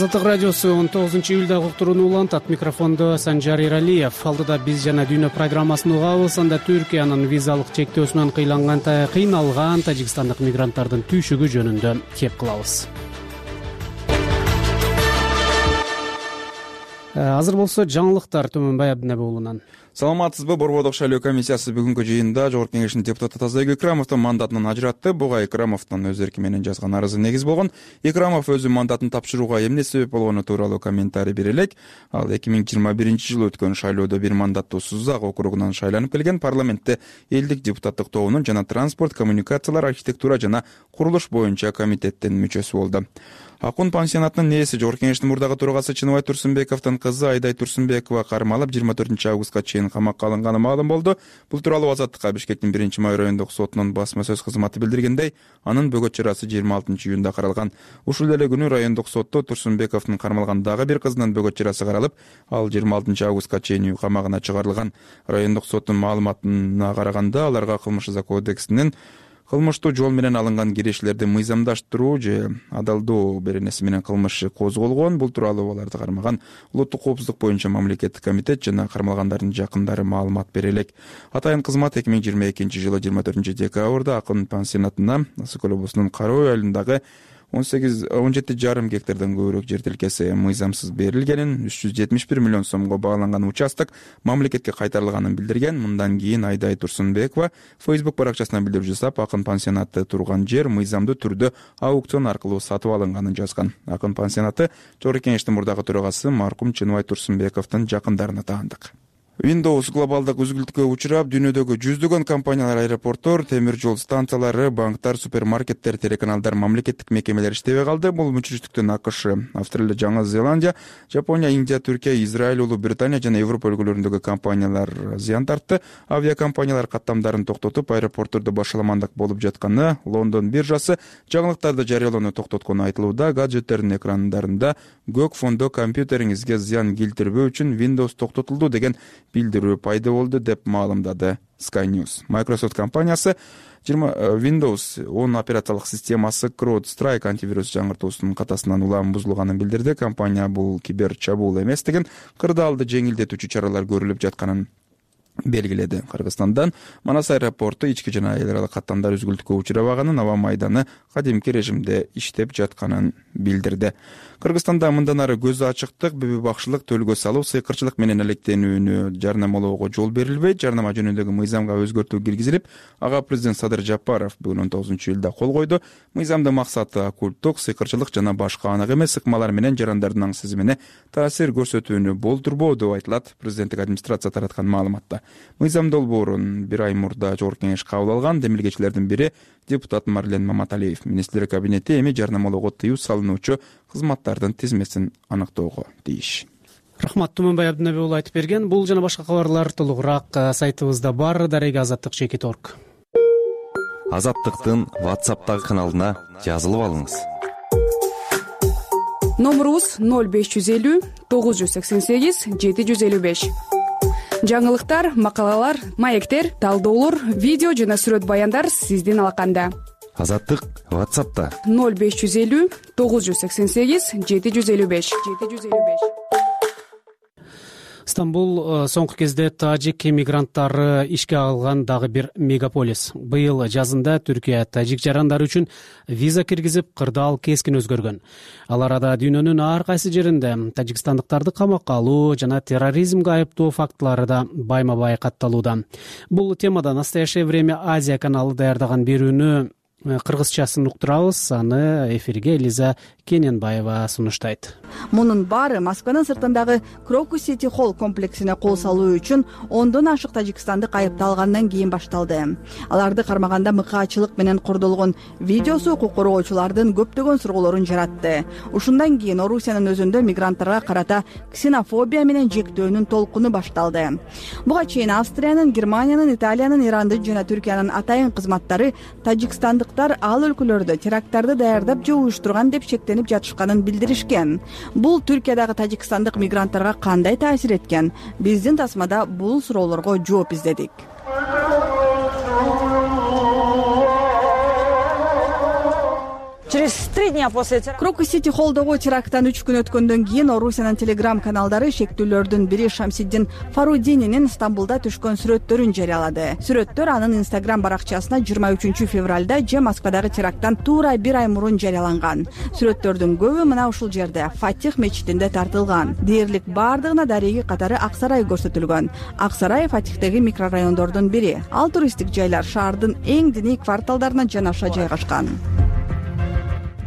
Азаттык радиосу он тогузунчу июлдагы уктурууну улантат. Микрофондо Санжар Иралиев. Алдыда биз жана дүйнө программасын угабыз. Анда Түркиянын визалык чектөөсүнөн кыйланган кыйналган тажикстандык мигранттардын түйшүгү жөнүндө кеп кылабыз. Азыр болсо жаңылыктар Төмөнбай Абдинабек уулунан. Саламатсызбы? Борбордук шайлоо комиссиясы бүгүнкү жыйында Жогорку Кеңештин депутаты Тазабек Икрамовдун мандатынан ажыратты. Буга Икрамовдун өз эрки менен жазган арызы негиз болгон. Икрамов өзү мандатын тапшырууга эмне себеп болгону тууралуу комментарий бере элек. Ал эки миң жыйырма биринчи жылы өткөн шайлоодо бир мандаттуу Сузак округунан шайланып келген. Парламентте элдик депутаттык тобунун жана транспорт, коммуникациялар, архитектура жана курулуш боюнча комитеттин мүчөсү болду. Акун пансионатынын нээси Жогорку Кеңештин мурдагы төрагасы Чыныбай Турсунбековдун кызы Айдай Турсунбекова кармалып жыйырма төртүнчү августка чейин камакка алынганы маалым болду. Бул тууралуу Азаттыкка Бишкектин биринчи май райондук сотунун басма сөз кызматы билдиргендей, анын бөгөт чарасы жыйырма алтынчы июнда каралган. Ушул эле күнү райондук сотто Турсунбековдун кармалган дагы бир кызынын бөгөт чарасы каралып, ал жыйырма алтынчы августка чейин үй камагына чыгарылган. Райондук соттун маалыматына караганда, аларга кылмыш жаза кодексинин кылмыштуу жол менен алынган кирешилерди мыйзамдаштыруу же адалдоо беренеси менен кылмыш козголгон. Бул тууралуу аларды кармаган улуттук коопсуздук боюнча мамлекеттик комитет жана кармалгандардын жакындары маалымат бере элек. Атайын кызмат эки миң жыйырма экинчи жылы жыйырма төртүнчү декабрда Акын пансионатына Ысык көл облусунун Кара үй айылындагы он сегиз он жети жарым гектардан көбүрөөк жер тилкеси мыйзамсыз берилгенин, үч жүз жетимиш бир миллион сомго бааланган участок мамлекетке кайтарылганын билдирген. Мындан кийин Айдай Турсунбекова Facebook баракчасына билдирүү жасап, Акын пансионаты турган жер мыйзамдуу түрдө аукцион аркылуу сатып алынганын жазган. Акын пансионаты Жогорку Кеңештин мурдагы төрагасы маркум Чыныбай Турсунбековдун жакындарына таандык. Windows глобалдык үзгүлтүккө учурап, дүйнөдөгү жүздөгөн компаниялар, аэропорттор, темир жол станциялары, банктар, супермаркеттер, телеканалдар, мамлекеттик мекемелер иштебей калды. Бул мүчүрүштүктөн АКШ, Австралия, Жаңы Зеландия, Жапония, Индия, Түркия, Израиль, Улуу Британия жана Европа өлкөлөрүндөгү компаниялар зыян тартты. Авиакомпаниялар каттамдарын токтотуп, аэропорттордо башаламандык болуп жатканы, Лондон биржасы жаңылыктарды жарыялоону токтоткону айтылууда. Гаджеттердин экрандарында көк фондо компьютериңизге зыян келтирбөө үчүн Windows токтотулду деген билдирүү пайда болду деп маалымдады Sky News. Microsoft компаниясы Windows он операциялык системасы CrowdStrike антивирус жаңыртуусунун катасынан улам бузулганын билдирди. Компания бул кибер чабуул эмес деген кырдаалды жеңилдетүүчү чаралар көрүлүп жатканын белгиледи. Кыргызстандан Манас аэропорту ички жана эл аралык каттамдар үзгүлтүккө учурабаганын, аба майданы кадимки режимде иштеп жатканын билдирди. Кыргызстанда мындан ары көз ачыктык, бүбү бакшылык, төлгө салуу, сыйкырчылык менен алектенүүнү жарнамалоого жол берилбейт. Жарнама жөнүндөгү мыйзамга өзгөртүү киргизилип, ага президент Садыр Жапаров бүгүн он тогузунчу июлда кол койду. Мыйзамдын максаты оккульттук, сыйкырчылык жана башка анак эмес ыкмалар менен жарандардын аң сезимине таасир көрсөтүүнү болтурбоо деп айтылат президенттик администрация тараткан маалыматта. Мыйзам долбоорун бир ай мурда Жогорку Кеңеш кабыл алган. Демилгечилердин бири депутат Марлен Маматалиев. Министрлер кабинети эми жарнамалоого тыюу салынуучу кызматтардын тизмесин аныктоого тийиш. Рахмат, Төмөнбай Абдинабек уулу айтып берген. Бул жана башка кабарлар толугураак сайтыбызда бар. Дареги азаттык чекит точка орг. Азаттыктын WhatsApp'тагы каналына жазылып алыңыз. Номерубуз ноль беш жүз элүү тогуз жүз сексен сегиз жети жүз элүү беш. Жаңылыктар, макалалар, маектер, талдоолор, видео жана сүрөт баяндар сиздин алаканда. Азаттык WhatsApp'та ноль беш жүз элүү тогуз жүз сексен сегиз жети жүз элүү беш. Стамбул соңку кезде тажик эмигранттары ишке алган дагы бир мегаполис. Быйыл жазында Түркия тажик жарандары үчүн виза киргизип, кырдаал кескин өзгөргөн. Ал арада дүйнөнүн ар кайсы жеринде тажикстандыктарды камакка алуу жана терроризмге айыптоо фактылары да байма-бай катталууда. Бул темада «Настоящее время Азия» каналы даярдаган берүүнү кыргызчасын уктурабыз. Аны эфирге Элиза Кененбаева сунуштайт. Мунун баары Москванын сыртындагы Крокус Сити Холл комплексине кол салуу үчүн ондон ашык тажикстандык айыпталгандан кийин башталды. Аларды кармаганда мыкаачылык менен кордолгон видеосу укук коргоочулардын көптөгөн суроолорун жаратты. Ушундан кийин Орусиянын өзүндө мигранттарга карата ксенофобия менен жектөөнүн толкуну башталды. Буга чейин Австриянын, Германиянын, Италиянын, Ирандын жана Түркиянын атайын кызматтары тажикстандыктар ал өлкөлөрдө теракттарды даярдап же уюштурган деп шектенип жатышканын билдиришкен. Бул Түркиядагы тажикстандык мигранттарга кандай таасир эткен? Биздин тасмада бул суроолорго жооп издедик. Через три дня после теракта Крокус Сити Холлдогу теракттан үч күн өткөндөн кийин Орусиянын телеграм каналдары шектүүлөрдүн бири Шамсиддин Фарудининин Стамбулда түшкөн сүрөттөрүн жарыялады. Сүрөттөр анын Инстаграм баракчасына жыйырма үчүнчү февралда же Москвадагы теракттан туура бир ай мурун жарыяланган. Сүрөттөрдүн көбү мына ушул жерде Фатих мечитинде тартылган. Дээрлик бардыгына дареги катары Ак Сарай көрсөтүлгөн. Ак Сарай Фатихдеги микрорайондордун бири. Ал туристтик жайлар шаардын эң диний кварталдарына жанаша жайгашкан.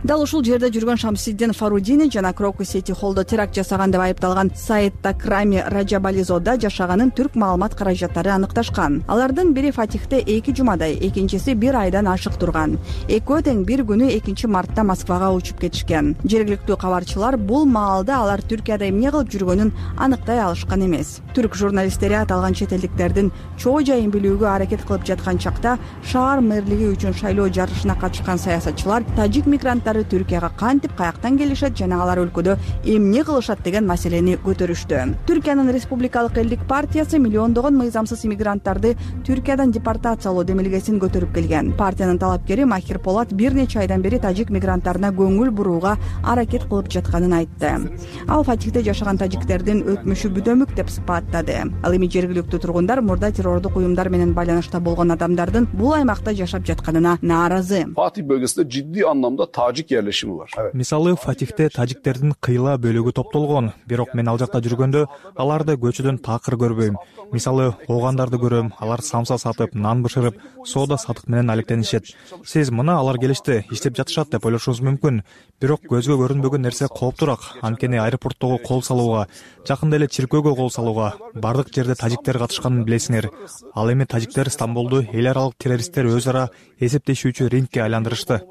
Дал ушул жерде жүргөн Шамсиддин Фарудини жана Крокус Сити Холлдо теракт жасаган деп айыпталган Саид Такрами Раджабализода жашаганын түрк маалымат каражаттары аныкташкан. Алардын бири Фатихте эки жумадай, экинчиси бир айдан ашык турган. Экөө тең бир күнү экинчи мартта Москвага учуп кетишкен. Жергиликтүү кабарчылар бул маалда алар Түркияда эмне кылып жүргөнүн аныктай алышкан эмес. Түрк журналисттери аталган чет элдиктердин чоо жайын билүүгө аракет кылып жаткан чакта шаар мэрлиги үчүн шайлоо жарышына катышкан саясатчылар тажик мигранттары Түркияга кантип, каяктан келишет жана алар өлкөдө эмне кылышат деген маселени көтөрүштү. Түркиянын Республикалык элдик партиясы миллиондогон мыйзамсыз иммигранттарды Түркиядан депортациялоо демилгесин көтөрүп келген. Партиянын талапкери Махир Полат бир нече айдан бери тажик мигранттарына көңүл бурууга аракет кылып жатканын айтты. Ал Фатихте жашаган тажиктердин өтмүшү бүдөмүк деп сыпаттады. Ал эми жергиликтүү тургундар мурда террордук уюмдар менен байланышта болгон адамдардын бул аймакта жашап жатканына нааразы. Фатих бөлгөсүндө жиддий анламда тажик yerleşimi var. Мисалы, Фатихте тажиктердин кыйла бөлүгү топтолгон. Бирок мен ал жакта жүргөндө аларды көчөдөн такыр көрбөйм. Мисалы, оогандарды көрөм, алар самса сатып, нан бышырып, соода сатык менен алектенишет. Сиз мына алар келишти, иштеп жатышат деп ойлошуңуз мүмкүн. Бирок көзгө көрүнбөгөн нерсе кооптураак. Анткени аэропорттогу кол салууга, жакында эле чиркөөгө кол салууга бардык жерде тажиктер катышканын билесиңер. Ал эми тажиктер Стамбулду эл аралык террористтер өз ара эсептешүүчү рингке айландырышты.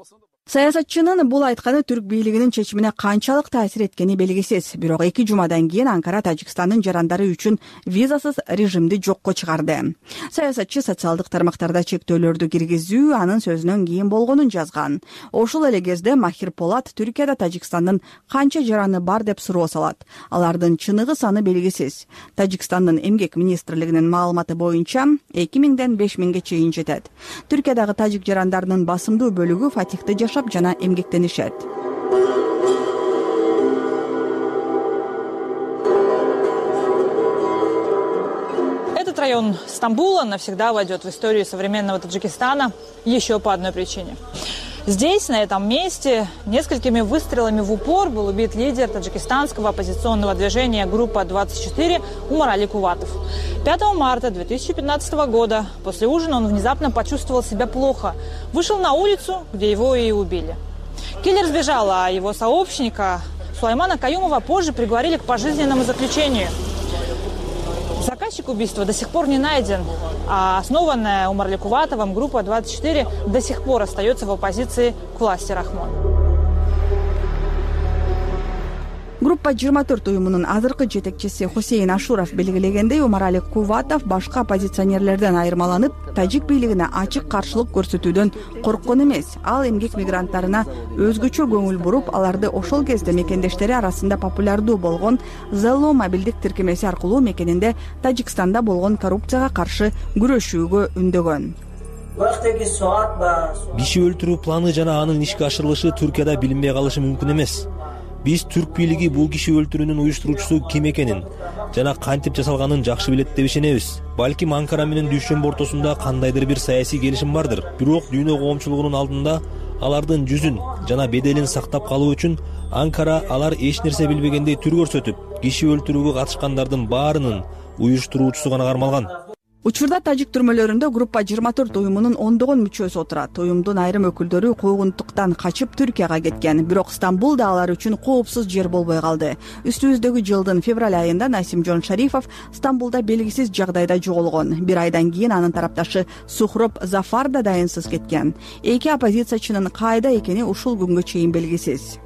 Саясатчынын бул айтканы түрк бийлигинин чечимине канчалык таасир эткени белгисиз. Бирок эки жумадан кийин Анкара Тажикстандын жарандары үчүн визасыз режимди жокко чыгарды. Саясатчы социалдык тармактарда чектөөлөрдү киргизүү анын сөзүнөн кийин болгонун жазган. Ошол эле кезде Махир Полат Түркияда Тажикстандын канча жараны бар деп суроо салат. Алардын чыныгы саны белгисиз. Тажикстандын эмгек министрлигинин маалыматы боюнча эки миңден беш миңге чейин жетет. Түркиядагы тажик жарандарынын басымдуу бөлүгү Фатихте жана эмгектенишет. Этот район Стамбула навсегда войдет в историю современного Таджикистана еще по одной причине. Здесь, на этом месте, несколькими выстрелами в упор был убит лидер таджикистанского оппозиционного движения «Группа двадцать четыре» Умар Али Куватов. пятого марта две тысячи пятнадцатого года после ужина он внезапно почувствовал себя плохо. Вышел на улицу, где его и убили. Киллер сбежал, а его сообщника Сулаймана Каюмова позже приговорили к пожизненному заключению. Заказчик убийства до сих пор не найден, а основанная Умар Куватовым группа двадцать четыре до сих пор остается в оппозиции к власти Рахмон. Группа жыйырма төрт уюмунун азыркы жетекчиси Хусейн Ашуров белгилегендей, Умар Али Куватов башка оппозиционерлерден айырмаланып, тажик бийлигине ачык каршылык көрсөтүүдөн корккон эмес. Ал эмгек мигранттарына өзгөчө көңүл буруп, аларды ошол кезде мекендештери арасында популярдуу болгон Zello мобилдик тиркемеси аркылуу мекенинде Тажикстанда болгон коррупцияга каршы күрөшүүгө үндөгөн. Киши өлтүрүү планы жана анын ишке ашырылышы Түркияда билинбей калышы мүмкүн эмес. Биз түрк бийлиги бул киши өлтүрүүнүн уюштуруучусу ким экенин жана кантип жасалганын жакшы билет деп ишенебиз. Балким Анкара менен Дүйшөмбү ортосунда кандайдыр бир саясий келишим бардыр. Бирок дүйнө коомчулугунун алдында алардын жүзүн жана беделин сактап калуу үчүн Анкара алар эч нерсе билбегендей түр көрсөтүп, киши өлтүрүүгө катышкандардын баарынын уюштуруучусу гана кармалган. Учурда тажик түрмөлөрүндө группа жыйырма төрт уюмунун ондогон мүчөсү отурат. Уюмдун айрым өкүлдөрү куугунтуктан качып Түркияга кеткен. Бирок Стамбул да алар үчүн коопсуз жер болбой калды. Үстүбүздөгү жылдын февраль айында Насимжон Шарифов Стамбулда белгисиз жагдайда жоголгон. Бир айдан кийин анын тарапташы Сухроб Зафар да дайынсыз кеткен. Эки оппозициячынын кайда экени ушул күнгө чейин белгисиз.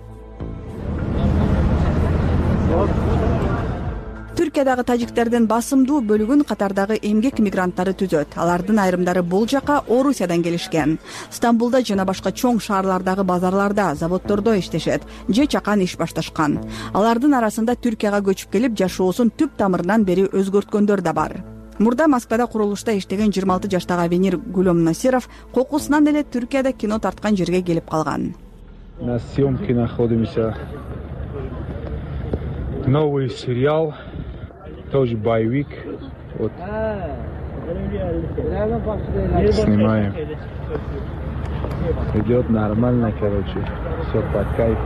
Түркиядагы тажиктердин басымдуу бөлүгүн катардагы эмгек мигранттары түзөт. Алардын айрымдары бул жака Орусиядан келишкен. Стамбулда жана башка чоң шаарлардагы базарларда, заводдордо иштешет, же чакан иш башташкан. Алардын арасында Түркияга көчүп келип жашоосун түп тамырынан бери өзгөрткөндөр да бар. Мурда Москвада курулушта иштеген жыйырма алты жаштагы Авенир Гулем Насиров кокусунан эле Түркияда кино тарткан жерге келип калган. На съемке находимся. Новый сериал, тоже боевик. Вот. Снимаем. Идет нормально, короче. Все под кайф.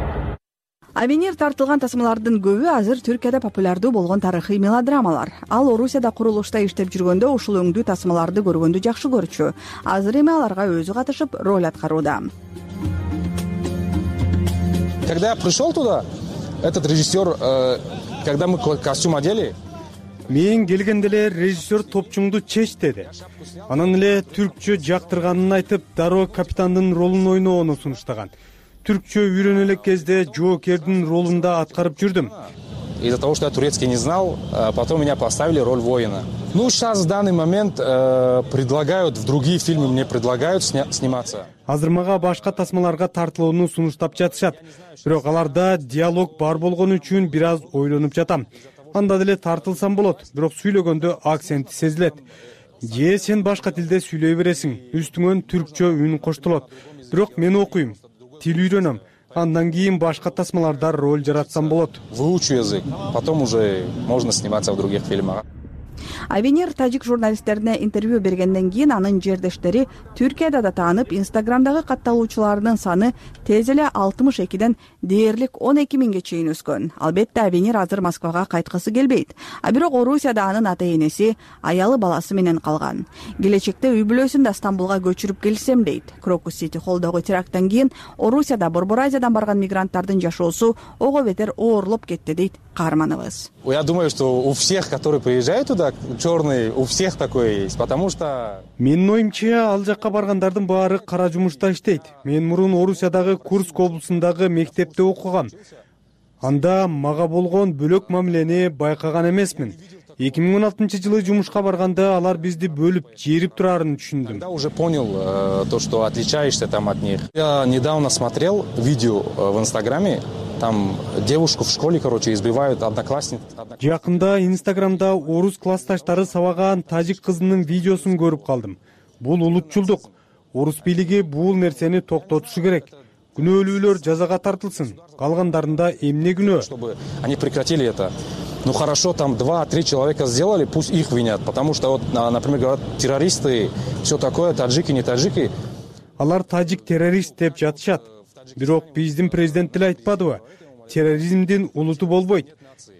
Авенир тартылган тасмалардын көбү азыр Түркияда популярдуу болгон тарыхый мелодрамалар. Ал Орусияда курулушта иштеп жүргөндө ушул өңдүү тасмаларды көргөндү жакшы көрчү. Азыр эми аларга өзү катышып роль аткарууда. Когда я пришел туда, этот режиссер, э, когда мы костюм одели, мен келгенде эле режиссер топчуңду чеч деди. Анан эле түркчө жактырганын айтып, дароо капитандын ролун ойноону сунуштаган. Түркчө үйрөнө элек кезде жоокердин ролунда аткарып жүрдүм. Из-за того, что я турецкий не знал, потом меня поставили роль воина. Ну, сейчас в данный момент э, предлагают, в другие фильмы мне предлагают сня- сниматься. Азыр мага башка тасмаларга тартылууну сунуштап жатышат. Бирок аларда диалог бар болгон үчүн бир аз ойлонуп жатам. Анда деле тартылсам болот, бирок сүйлөгөндө акценти сезилет. Же сен башка тилде сүйлөй бересиң, үстүңөн түркчө үн коштолот. Бирок мен окуйм, тил үйрөнөм. Андан кийин башка тасмаларда роль жаратсам болот. Выучу язык, потом уже можно сниматься в других фильмах. Авенир тажик журналисттерине интервью бергенден кийин анын жердештери Түркияда да таанып, Инстаграмдагы катталуучуларынын саны тез эле алтымыш экиден дээрлик он эки миңге чейин өскөн. Албетте Авенир азыр Москвага кайткысы келбейт. А бирок Орусияда анын ата-энеси, аялы баласы менен калган. Келечекте үй бүлөсүн да Стамбулга көчүрүп келсем дейт. Крокус Сити холдогу теракттан кийин Орусияда Борбор Азиядан барган мигранттардын жашоосу ого бетер оорлоп кетти дейт каарманыбыз. Я думаю, что у всех, которые приезжают туда, черный, у всех такой есть, потому что... Менин оюмча, ал жакка баргандардын баары кара жумушта иштейт. Мен мурун Орусиядагы Курск облусундагы мектепте окугам. Анда мага болгон бөлөк мамилени байкаган эмесмин. эки миң он алтынчы жылы жумушка барганда алар бизди бөлүп, жээрип турарын түшүндүм. Я уже понял э, то, что отличаешься там от них. Я недавно смотрел видео э, в Инстаграме. Там девушку в школе, короче, избивают одноклассниц. Жакында Инстаграмда орус классташтары сабаган тажик кызынын видеосун көрүп калдым. Бул улутчулдук. Орус бийлиги бул нерсени токтотушу керек. Күнөөлүүлөр жазага тартылсын. Калгандарында эмне күнөө? Чтобы они прекратили это. Ну хорошо, там два-три человека сделали, пусть их винят. Потому что, вот, например, говорят, террористы, все такое, таджики, не таджики. Алар тажик террорист деп жатышат. Бирок биздин президент деле айтпадыбы? Терроризмдин улуту болбойт.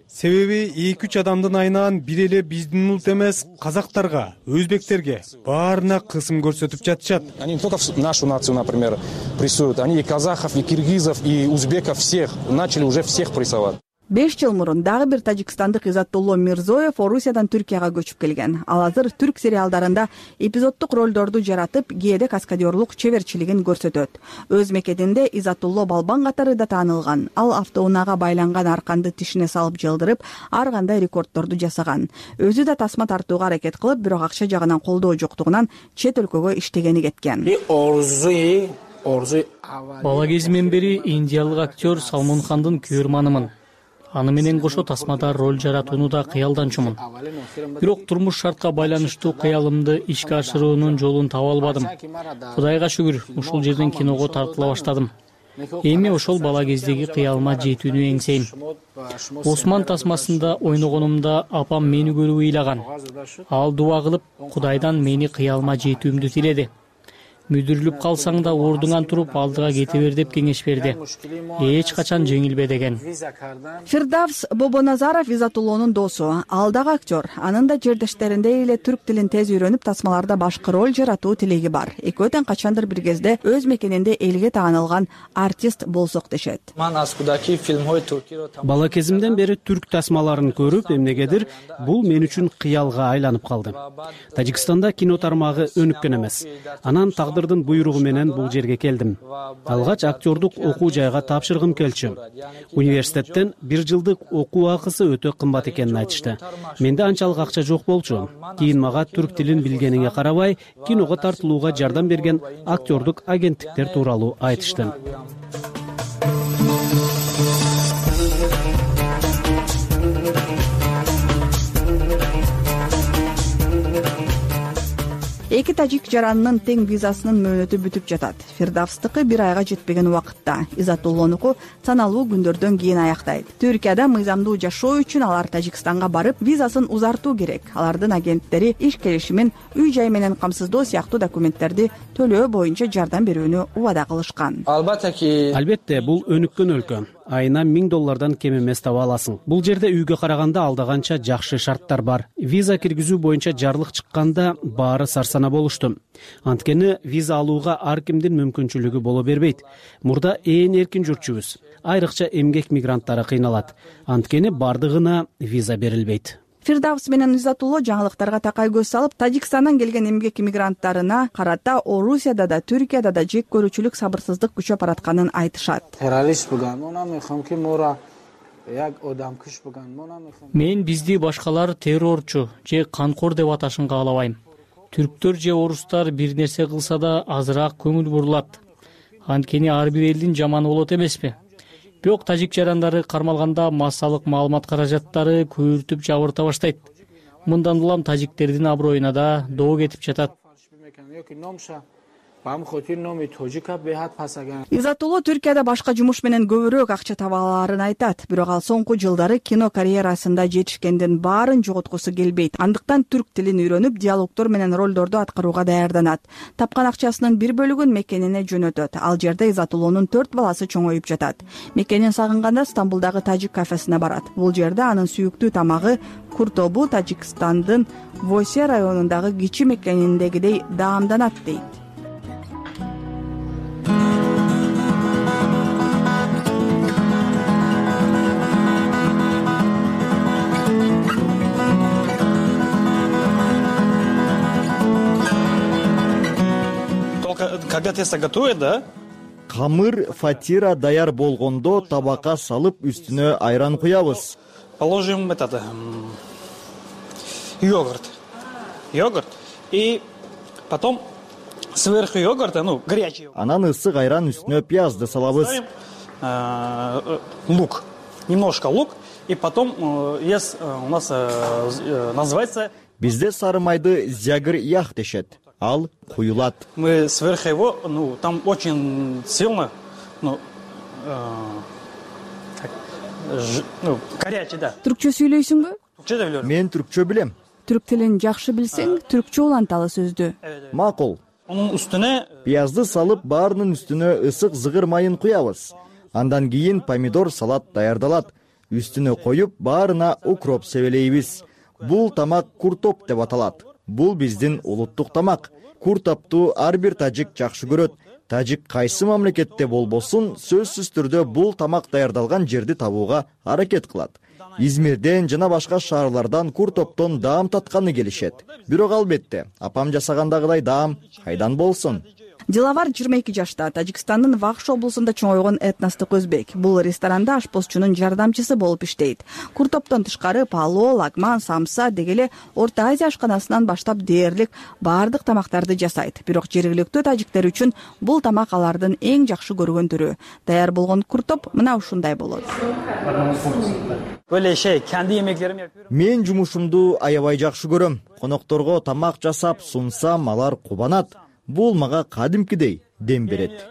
Себеби эки үч адамдын айынан бир эле биздин улут эмес, казактарга, өзбектерге баарына кысым көрсөтүп жатышат. Они не только нашу нацию, например, прессуют, они и казахов, и киргизов, и узбеков всех начали уже всех прессовать. беш жыл мурун дагы бир тажикстандык Изаттулло Мирзоев Орусиядан Түркияга көчүп келген. Ал азыр түрк сериалдарында эпизоддук ролдорду жаратып, кээде каскадерлук чеберчилигин көрсөтөт. Өз мекенинде Изаттулло Балбан катары да таанылган. Ал автоунаага байланган арканды тишине салып жылдырып, ар кандай рекорддорду жасаган. Өзү да тасма тартууга аракет кылып, бирок акча жагынан колдоо жоктугунан чет өлкөгө иштегени кеткен. Бала кезимден бери индиялык актер Салмон Хандын күйөрманымын. Аны менен кошо тасмада роль жаратууну да кыялданчумун. Бирок турмуш шартка байланыштуу кыялымды ишке ашыруунун жолун таба албадым. Кудайга шүгүр, ушул жерден киного тартыла баштадым. эми ошол бала кездеги кыялыма жетүүнү эңсейм. Осман тасмасында ойногонумда апам мени көрүп ыйлаган. Ал дуба кылып Кудайдан мени кыялыма жетүүмдү тиледи. Мүдүрүлүп калсаң да ордуңан туруп алдыга кете бер деп кеңеш берди. Эч качан жеңилбе деген. Фирдавс Бобоназаров Изатуллонун досу, ал дагы актер. Анын да жердештериндей эле түрк тилин тез үйрөнүп, тасмаларда башкы роль жаратуу тилеги бар. Экөө тең качандыр бир кезде өз мекенинде элге таанылган артист болсок дешет. Бала кезимден бери түрк тасмаларын көрүп, эмнегедир бул мен үчүн кыялга айланып калды. Тажикстанда кино тармагы өнүккөн эмес. Анан тагдырдын буйругу менен бул жерге келдим. Алгач актердук окуу жайга тапшыргым келчү. Университеттен бир жылдык окуу акысы өтө кымбат экенин айтышты. Менде анчалык акча жок болчу. Кийин мага түрк тилин билгениңе карабай, киного тартылууга жардам берген актердук агенттиктер тууралуу айтышты. Эки тажик жаранынын тең визасынын мөөнөтү бүтүп жатат. Фирдавстыкы бир айга жетпеген убакытта, Изатуллонуку саналуу күндөрдөн кийин аяктайт. Түркияда мыйзамдуу жашоо үчүн алар Тажикстанга барып, визасын узартуу керек. Алардын агенттери иш келишимин, үй жай менен камсыздоо сыяктуу документтерди төлөө боюнча жардам берүүнү убада кылышкан. Албетте, бул өнүккөн өлкө. Айына миң доллардан кем эмес таба аласың. Бул жерде үйгө караганда алдаганча жакшы шарттар бар. Виза киргизүү боюнча жарлык чыкканда баары сарсана болушту. Анткени виза алууга ар кимдин мүмкүнчүлүгү боло бербейт. Мурда ээн эркин жүрчүбүз. Айрыкча эмгек мигранттары кыйналат. Анткени бардыгына виза берилбейт. Фирдавс менен Изатулло жаңылыктарга такай көз салып, Тажикстандан келген эмгек мигранттарына карата Орусияда да, Түркияда да жек көрүүчүлүк, сабырсыздык күчөп баратканын айтышат. Мен бизди башкалар террорчу же канкор деп аташын каалабайм. Түрктөр же орустар бир нерсе кылса да азыраак көңүл бурулат. Анткени ар бир элдин жаманы болот эмеспи? Бирок тажик жарандары кармалганда массалык маалымат каражаттары көйүртүп жабырта баштайт. Мындан улам тажиктердин аброюна да доо кетип жатат. Изатулло Түркияда башка жумуш менен көбүрөөк акча таба алаарын айтат. Бирок ал соңку жылдары кино карьерасында жетишкендин баарын жоготкусу келбейт. Андыктан түрк тилин үйрөнүп, диалогдор менен ролдорду аткарууга даярданат. Тапкан акчасынын бир бөлүгүн мекенине жөнөтөт. Ал жерде Изатуллонун төрт баласы чоңоюп жатат. Мекенин сагынганда Стамбулдагы тажик кафесине барат. Бул жерде анын сүйүктүү тамагы куртобу Тажикстандын Восе районундагы кичи мекениндегидей даамданат дейт. Когда тесто готовит, да? Камыр фатира даяр болгондо табакка салып үстүнө айран куябыз. Положим этот йогурт. Йогурт. И потом сверху йогурта, ну, горячий. Анан ысык айран үстүнө пиязды салабыз. Лук. Немножко лук. И потом есть у нас называется... Бизде сары майды зягыр ях дешет. Ал куюлат. Мы сверху его, ну, там очень сильно, ну, э, как, ж, ну, горячий, да. Түркчө сүйлөйсүңбү? Түркчө да билем. Мен түркчө билем. Түрк тилин жакшы билсең, түркчө уланталы сөздү. Макул. Анын үстүнө пиязды салып, баарынын үстүнө ысык зыгыр майын куябыз. Андан кийин помидор салат даярдалат. Үстүнө коюп, баарына укроп себелейбиз. Бул тамак куртоп деп аталат. Бул биздин улуттук тамак. Куртопту ар бир тажик жакшы көрөт. Тажик кайсы мамлекетте болбосун, сөзсүз түрдө бул тамак даярдалган жерди табууга аракет кылат. Измирден жана башка шаарлардан куртоптон даам татканы келишет. Бирок албетте, апам жасагандагыдай даам кайдан болсун? Диловар жыйырма эки жашта, Тажикстандын Вахш облусунда чоңойгон этностук өзбек. Бул ресторанда ашпозчунун жардамчысы болуп иштейт. Куртоптон тышкары пало, лагман, самса дегеле Орто Азия ашканасынан баштап дээрлик баардык тамактарды жасайт. Бирок жергиликтүү тажиктер үчүн бул тамак алардын эң жакшы көргөн түрү. Даяр болгон куртоп мына ушундай болот. Мен жумушумду аябай жакшы көрөм. Конокторго тамак жасап сунсам, алар кубанат. Бул мага кадимкидей дем берет.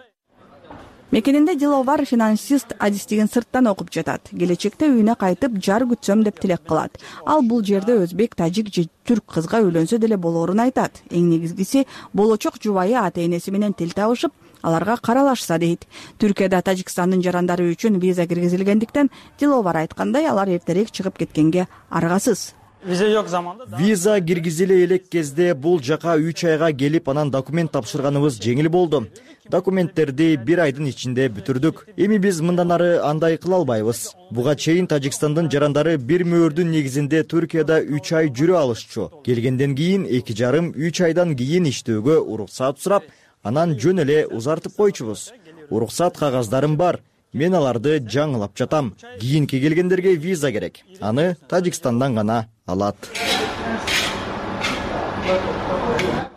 мекенинде диловар финансист адистигин сырттан окуп жатат. Келечекте үйүнө кайтып жар күтсөм деп тилек кылат. Ал бул жерде өзбек, тажик же түрк кызга үйлөнсө деле болоорун айтат. Эң негизгиси болочок жубайы ата-энеси менен тил табышып, аларга каралашса дейт. Түркияда Тажикстандын жарандары үчүн виза киргизилгендиктен диловар айткандай алар эртерээк чыгып кеткенге аргасыз. Виза жок заманда виза киргизиле элек кезде бул жака үч айга келип анан документ тапшырганыбыз жеңил болду. Документтерди бир айдын ичинде бүтүрдүк. Эми биз мындан ары андай кыла албайбыз. Буга чейин Тажикстандын жарандары бир мөөрдүн негизинде Түркияда үч ай жүрө алышчу. Келгенден кийин эки жарым үч айдан кийин иштөөгө уруксат сурап, анан жөн эле узартып койчубуз. Уруксат кагаздарым бар. Мен аларды жаңылап жатам. Кийинки келгендерге виза керек. Аны Тажикстандан гана алат.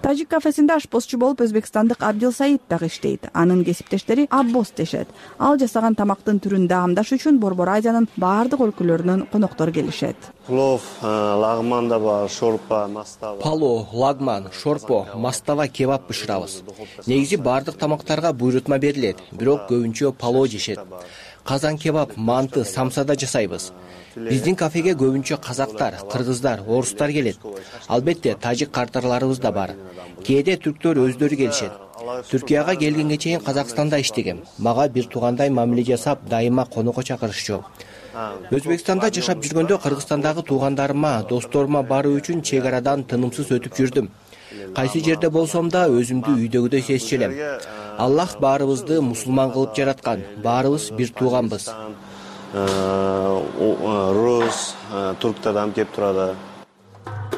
Тажик кафесинде ашпозчу болуп Өзбекстандык Абдил Саид дагы иштейт. Анын кесиптештери Аббос дешет. Ал жасаган тамактын түрүн даамдаш үчүн Борбор Азиянын баардык өлкөлөрүнөн коноктор келишет. Плов, лагман да бар, шорпа, мастава. Пало, лагман, шорпо, мастава, кебаб бышырабыз. Негизи баардык тамактарга буйрутма берилет, бирок көбүнчө пало жешет. Казан кебаб, манты, самса да жасайбыз. Биздин кафеге көбүнчө казактар, кыргыздар, орустар келет. Албетте, тажик картарларыбыз да бар. Кээде түрктөр өздөрү келишет. Түркияга келгенге чейин Казакстанда иштегем. Мага бир туугандай мамиле жасап, дайыма конокко чакырышчу. Өзбекстанда жашап жүргөндө Кыргызстандагы туугандарыма, досторума баруу үчүн чек арадан тынымсыз өтүп жүрдүм. Кайсы жерде болсом да өзүмдү үйдөгүдөй сезчү элем. Аллах баарыбызды мусулман кылып жараткан. Баарыбыз бир тууганбыз. Рус, турктардан кеп турады.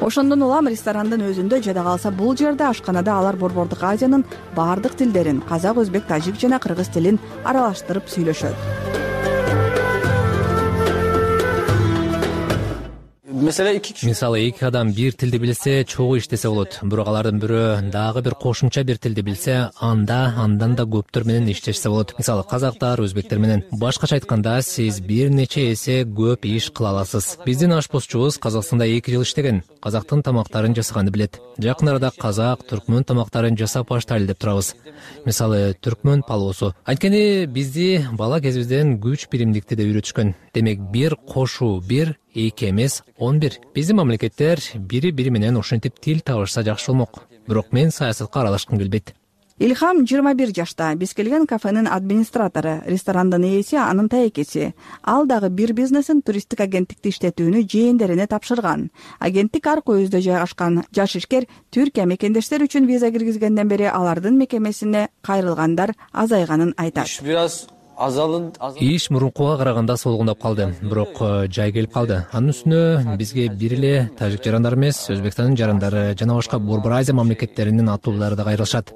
Ошондон улам ресторандын өзүндө жада калса бул жерде ашканада алар Борбордук Азиянын баардык тилдерин, казак, өзбек, тажик жана кыргыз тилин аралаштырып сүйлөшөт. Мисалы эки адам бир тилди билсе, чогуу иштесе болот. Бирок алардын бирөө дагы бир кошумча бир тилди билсе, анда андан да көптөр менен иштешсе болот. Мисалы казактар, өзбектер менен. Башкача айтканда, сиз бир нече эсе көп иш кыла аласыз. Биздин ашпозчубуз Казакстанда эки жыл иштеген. Казактын тамактарын жасаганды билет. Жакын арада казак, түркмөн тамактарын жасап баштайлы деп турабыз. Мисалы түркмөн палоосу. Анткени бизди бала кезибизден күч биримдикти да үйрөтүшкөн. Демек бир кошуу бир, эки эмес он бир. Биздин мамлекеттер бири бири менен ошентип тил табышса жакшы болмок. Бирок мен саясатка аралашкым келбейт. Илхам жыйырма бир жашта, биз келген кафенин администратору, ресторандын ээси, анын таекеси. Ал дагы бир бизнесин туристтик агенттикти иштетүүнү жээндерине тапшырган. Агенттик аркы өзүдө жайгашкан. Жаш ишкер Түркия мекендештер үчүн виза киргизгенден бери алардын мекемесине кайрылгандар азайганын айтат. Иш мурункуга караганда солгундап калды, бирок жай келип калды. Анын үстүнө бизге бир эле тажик жарандар эмес, Өзбекстандын жарандары жана башка Борбор Азия мамлекеттеринин аттуулары да кайрылышат.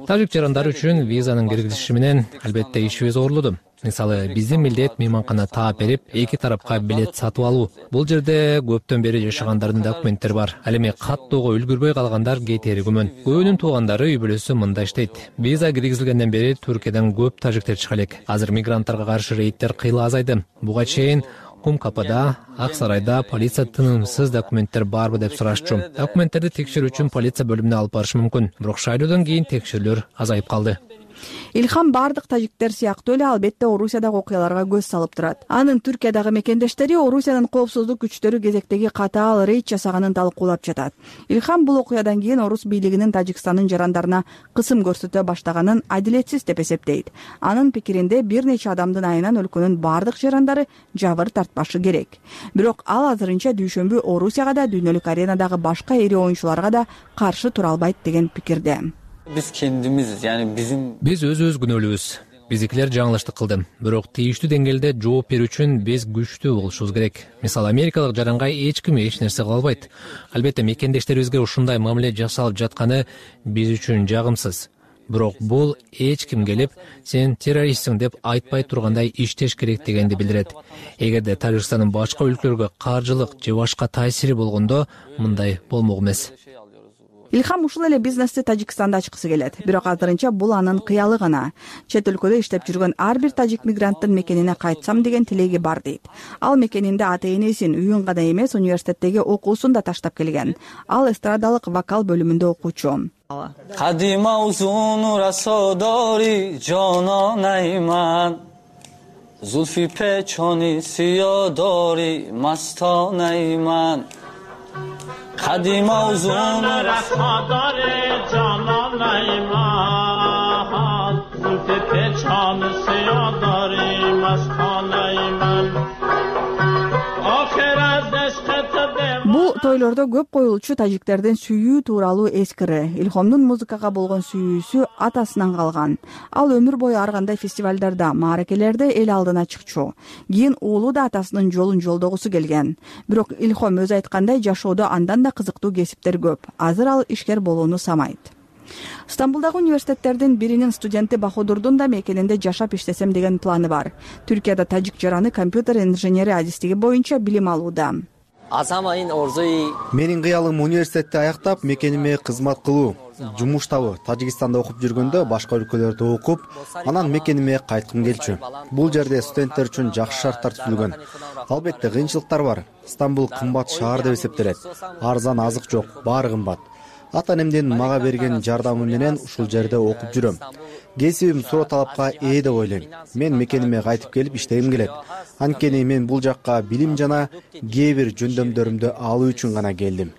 Тажик жарандары үчүн визанын киргизиши менен албетте ишибиз оорлоду. Мисалы, биздин милдет мейманкана таап берип, эки тарапка билет сатып алуу. Бул жерде көптөн бери жашагандардын документтери бар. Ал эми каттоого үлгүрбөй калгандар кетери күмөн. Көбүнүн туугандары үй бүлөсү мында иштейт. Виза киргизилгенден бери Түркиядан көп тажиктер чыга элек. Азыр мигранттарга каршы рейдтер кыйла азайды. Буга чейин Кум Капада, Ак Сарайда полиция тынымсыз документтер барбы деп сурашчу. Документтерди текшерүү үчүн полиция бөлүмүнө алып барышы мүмкүн. Бирок шайлоодон кийин текшерүүлөр азайып калды. Илхам бардык тажиктер сыяктуу эле албетте Орусиядагы окуяларга көз салып турат. Анын Түркиядагы мекендештери Орусиянын коопсуздук күчтөрү кезектеги катаал рейд жасаганын талкуулап жатат. Илхам бул окуядан кийин орус бийлигинин Тажикстандын жарандарына кысым көрсөтө баштаганын адилетсиз деп эсептейт. Анын пикиринде бир нече адамдын айынан өлкөнүн бардык жарандары жабыр тартпашы керек. Бирок ал азырынча дүйшөмбү Орусияга да, дүйнөлүк аренадагы башка ири оюнчуларга да каршы тура албайт деген пикирде. Биз кендимиз, яни биздин биз өзүбүз күнөөлүүбүз. Биздикилер жаңылыштык кылды. Бирок тийиштүү деңгээлде жооп берүү үчүн биз күчтүү болушубуз керек. Мисалы, америкалык жаранга эч ким эч нерсе кыла албайт. Албетте мекендештерибизге ушундай мамиле жасалып жатканы биз үчүн жагымсыз. Бирок бул эч ким келип, сен террористсиң деп айтпай тургандай иштеш керек дегенди билдирет. Эгерде Тажикстандын башка өлкөлөргө каржылык же башка таасири болгондо мындай болмок эмес. Илхам ушул эле бизнести Тажикстанда ачкысы келет, бирок азырынча бул анын кыялы гана. Чет өлкөдө иштеп жүргөн ар бир тажик мигранттын мекенине кайтсам деген тилеги бар дейт. Ал мекенинде ата энесин, үйүн гана эмес, университеттеги окуусун да таштап келген. Ал эстрадалык вокал бөлүмүндө окуучу. Кадима узун расодори жононайман Зулфи печони сиядори мастанайман Кадима узун расодори жононайман Зулфи печони сиядори мастанайман Бул тойлордо көп коюлчу тажиктердин сүйүү тууралуу эскири. Илхомдун музыкага болгон сүйүүсү атасынан калган. Ал өмүр бою ар кандай фестивалдарда, мааракелерде эл алдына чыкчу. Кийин уулу да атасынын жолун жолдогусу келген. Бирок Илхом өзү айткандай жашоодо андан да кызыктуу кесиптер көп. Азыр ал ишкер болууну самайт. Стамбулдагы университеттердин биринин студенти Баходурдун да мекенинде жашап иштесем деген планы бар. Түркияда тажик жараны компьютер инженери адистиги боюнча билим алууда. Менин кыялым университетти аяктап, мекениме кызмат кылуу. Жумуш табы Тажикстанда окуп жүргөндө башка өлкөлөрдө окуп, анан мекениме кайткым келчү. Бул жерде студенттер үчүн жакшы шарттар түзүлгөн. Албетте кыйынчылыктар бар. Стамбул кымбат шаар деп эсептелет. Арзан азык жок, баары кымбат. Ата-энемдин мага берген жардамы менен ушул жерде окуп жүрөм. Кесибим суроо талапка ээ деп ойлойм. Мен мекениме кайтып келип иштегим келет. Анткени мен бул жакка билим жана кээ бир жөндөмдөрүмдү алуу үчүн гана келдим.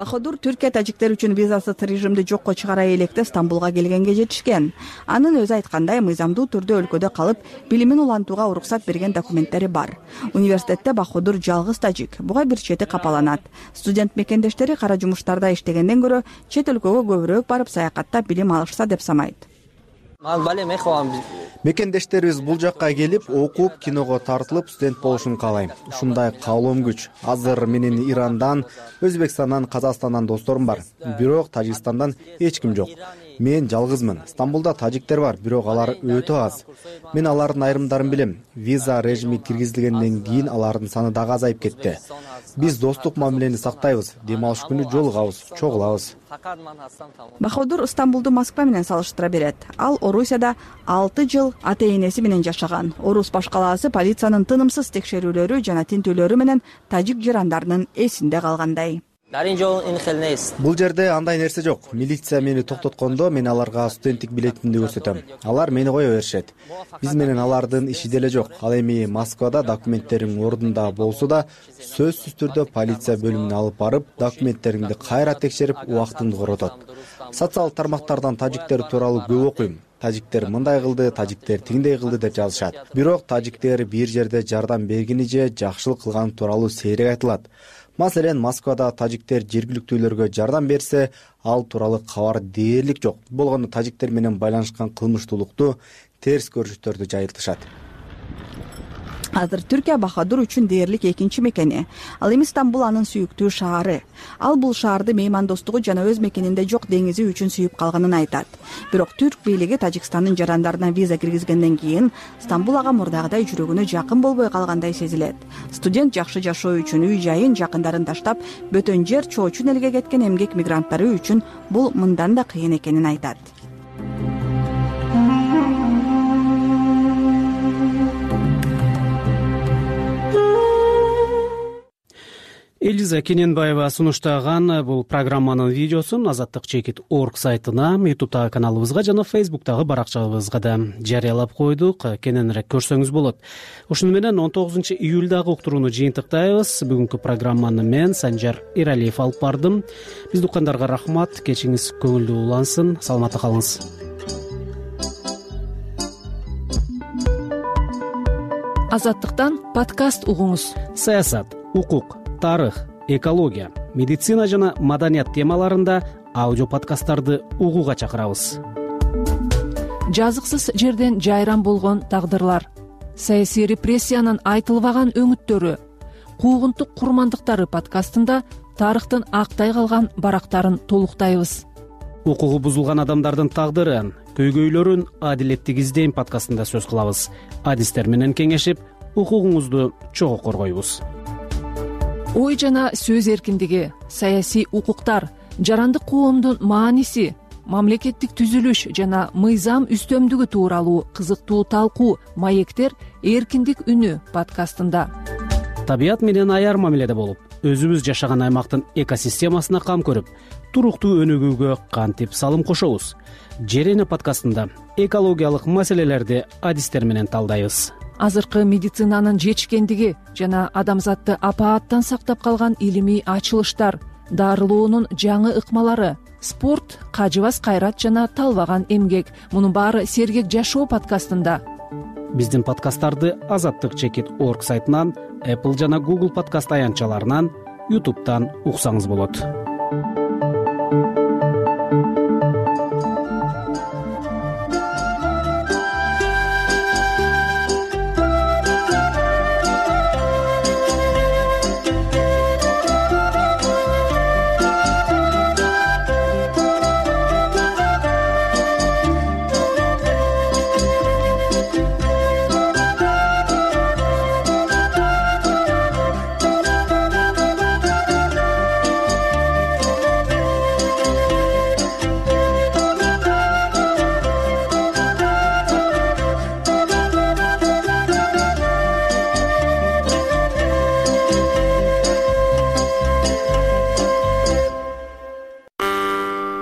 Баходур Түркия тажиктер үчүн визасыз режимди жокко чыгара электе Стамбулга келгенге жетишкен. Анын өзү айткандай, мыйзамдуу түрдө өлкөдө калып, билимин улантууга уруксат берген документтери бар. Университетте Баходур жалгыз тажик, буга бир чети капаланат. Студент мекендештери кара жумуштарда иштегенден көрө чет өлкөгө көбүрөөк барып саякаттап билим алышса деп санайт. Мекендештерибиз бул жакка келип, окуп, киного тартылып, студент болушун каалайм. Ушундай каалоом күч. Азыр менин Ирандан, Өзбекстандан, Казакстандан досторум бар. Бирок Тажикстандан эч ким жок. Мен жалгызмын. Стамбулда тажиктер бар, бирок алар өтө аз. Мен алардын айрымдарын билем. Виза режими киргизилгенден кийин алардын саны дагы азайып кетти. Биз достук мамилени сактайбыз, дем алыш күнү жолугабыз, чогулабыз. Баходур Стамбулду Москва менен салыштыра берет. Ал Орусияда алты жыл ата энеси менен жашаган. Орус башкалаасы полициянын тынымсыз текшерүүлөрү жана тинтүүлөрү менен тажик жарандарынын эсинде калгандай. Бул жерде андай нерсе жок. Милиция мени токтоткондо мен аларга студенттик билетимди көрсөтөм. Алар мени кое беришет. Биз менен алардын иши деле жок. Ал эми Москвада документтериң ордунда болсо да, сөзсүз түрдө полиция бөлүмүнө алып барып, документтериңди кайра текшерип, убактыңды коротот. Социалдык тармактардан тажиктер тууралуу көп окуйм. Тажиктер мындай кылды, тажиктер тиңдей кылды деп жазышат. Бирок тажиктер бир жерде жардам бергени же жакшылык кылган тууралуу сейрек айтылат. Маселен, Москвада тажиктер жергиликтүүлөргө жардам берсе, ал тууралуу кабар дээрлик жок. Болгондо тажиктер менен байланышкан кылмыштуулукту, терс көрүнүштөрдү жайылтышат. Азыр Түркия Баходур үчүн дээрлик экинчи мекени. Ал эми Стамбул анын сүйүктүү шаары. Ал бул шаарды меймандостугу жана өз мекенинде жок деңизи үчүн сүйүп калганын айтат. Бирок түрк бийлиги Тажикстандын жарандарына виза киргизгенден кийин Стамбул ага мурдагыдай жүрөгүнө жакын болбой калгандай сезилет. Студент жакшы жашоо үчүн үй жайын, жакындарын таштап, бөтөн жер чоочун элге кеткен эмгек мигранттары үчүн бул мындан да кыйын экенин айтат. Элиза Кененбаева сунуштаган бул программанын видеосун азаттык чекит точка орг сайтына, ютубтагы каналыбызга жана фейсбуктагы баракчабызга да жарыялап койдук. Кененирээк көрсөңүз болот. Ушуну менен он тогузунчу июлдагы уктурууну жыйынтыктайбыз. Бүгүнкү программаны мен Санжар Эралиев алып бардым. Бизди уккандарга рахмат. Кечиңиз көңүлдүү улансын. Саламатта калыңыз. Азаттыктан подкаст угуңуз. Саясат, укук, тарых, экология, медицина жана маданият темаларында аудио подкасттарды угууга чакырабыз. Жазыксыз жерден жайран болгон тагдырлар, саясий репрессиянын айтылбаган өңүттөрү, куугунтук курмандыктары подкастында тарыхтын актай калган барактарын толуктайбыз. Укугу бузулган адамдардын тагдырын, көйгөйлөрүн адилеттик издейм подкастында сөз кылабыз. Адистер менен кеңешип, укугуңузду чогуу коргойбуз. ой жана сөз эркиндиги, саясий укуктар, жарандык коомдун мааниси, мамлекеттик түзүлүш жана мыйзам үстөмдүгү тууралуу кызыктуу талкуу «Маектер. Эркиндик үнү» подкастында. Табият менен аяр мамиледе болуп, өзүбүз жашаган аймактын экосистемасына кам көрүп, туруктуу өнүгүүгө кантип салым кошобуз? Жер эне подкастында экологиялык маселелерди адистер менен талдайбыз. Азыркы медицинанын жетишкендиги жана адамзатты апааттан сактап калган илимий ачылыштар, дарылоонун жаңы ыкмалары, спорт, кажыбас кайрат жана талбаган эмгек. Мунун баары Сергек жашоо подкастында. Биздин подкасттарды азаттык чекит орг сайтынан, Apple жана Google подкаст аянтчаларынан, YouTube'дан уксаңыз болот.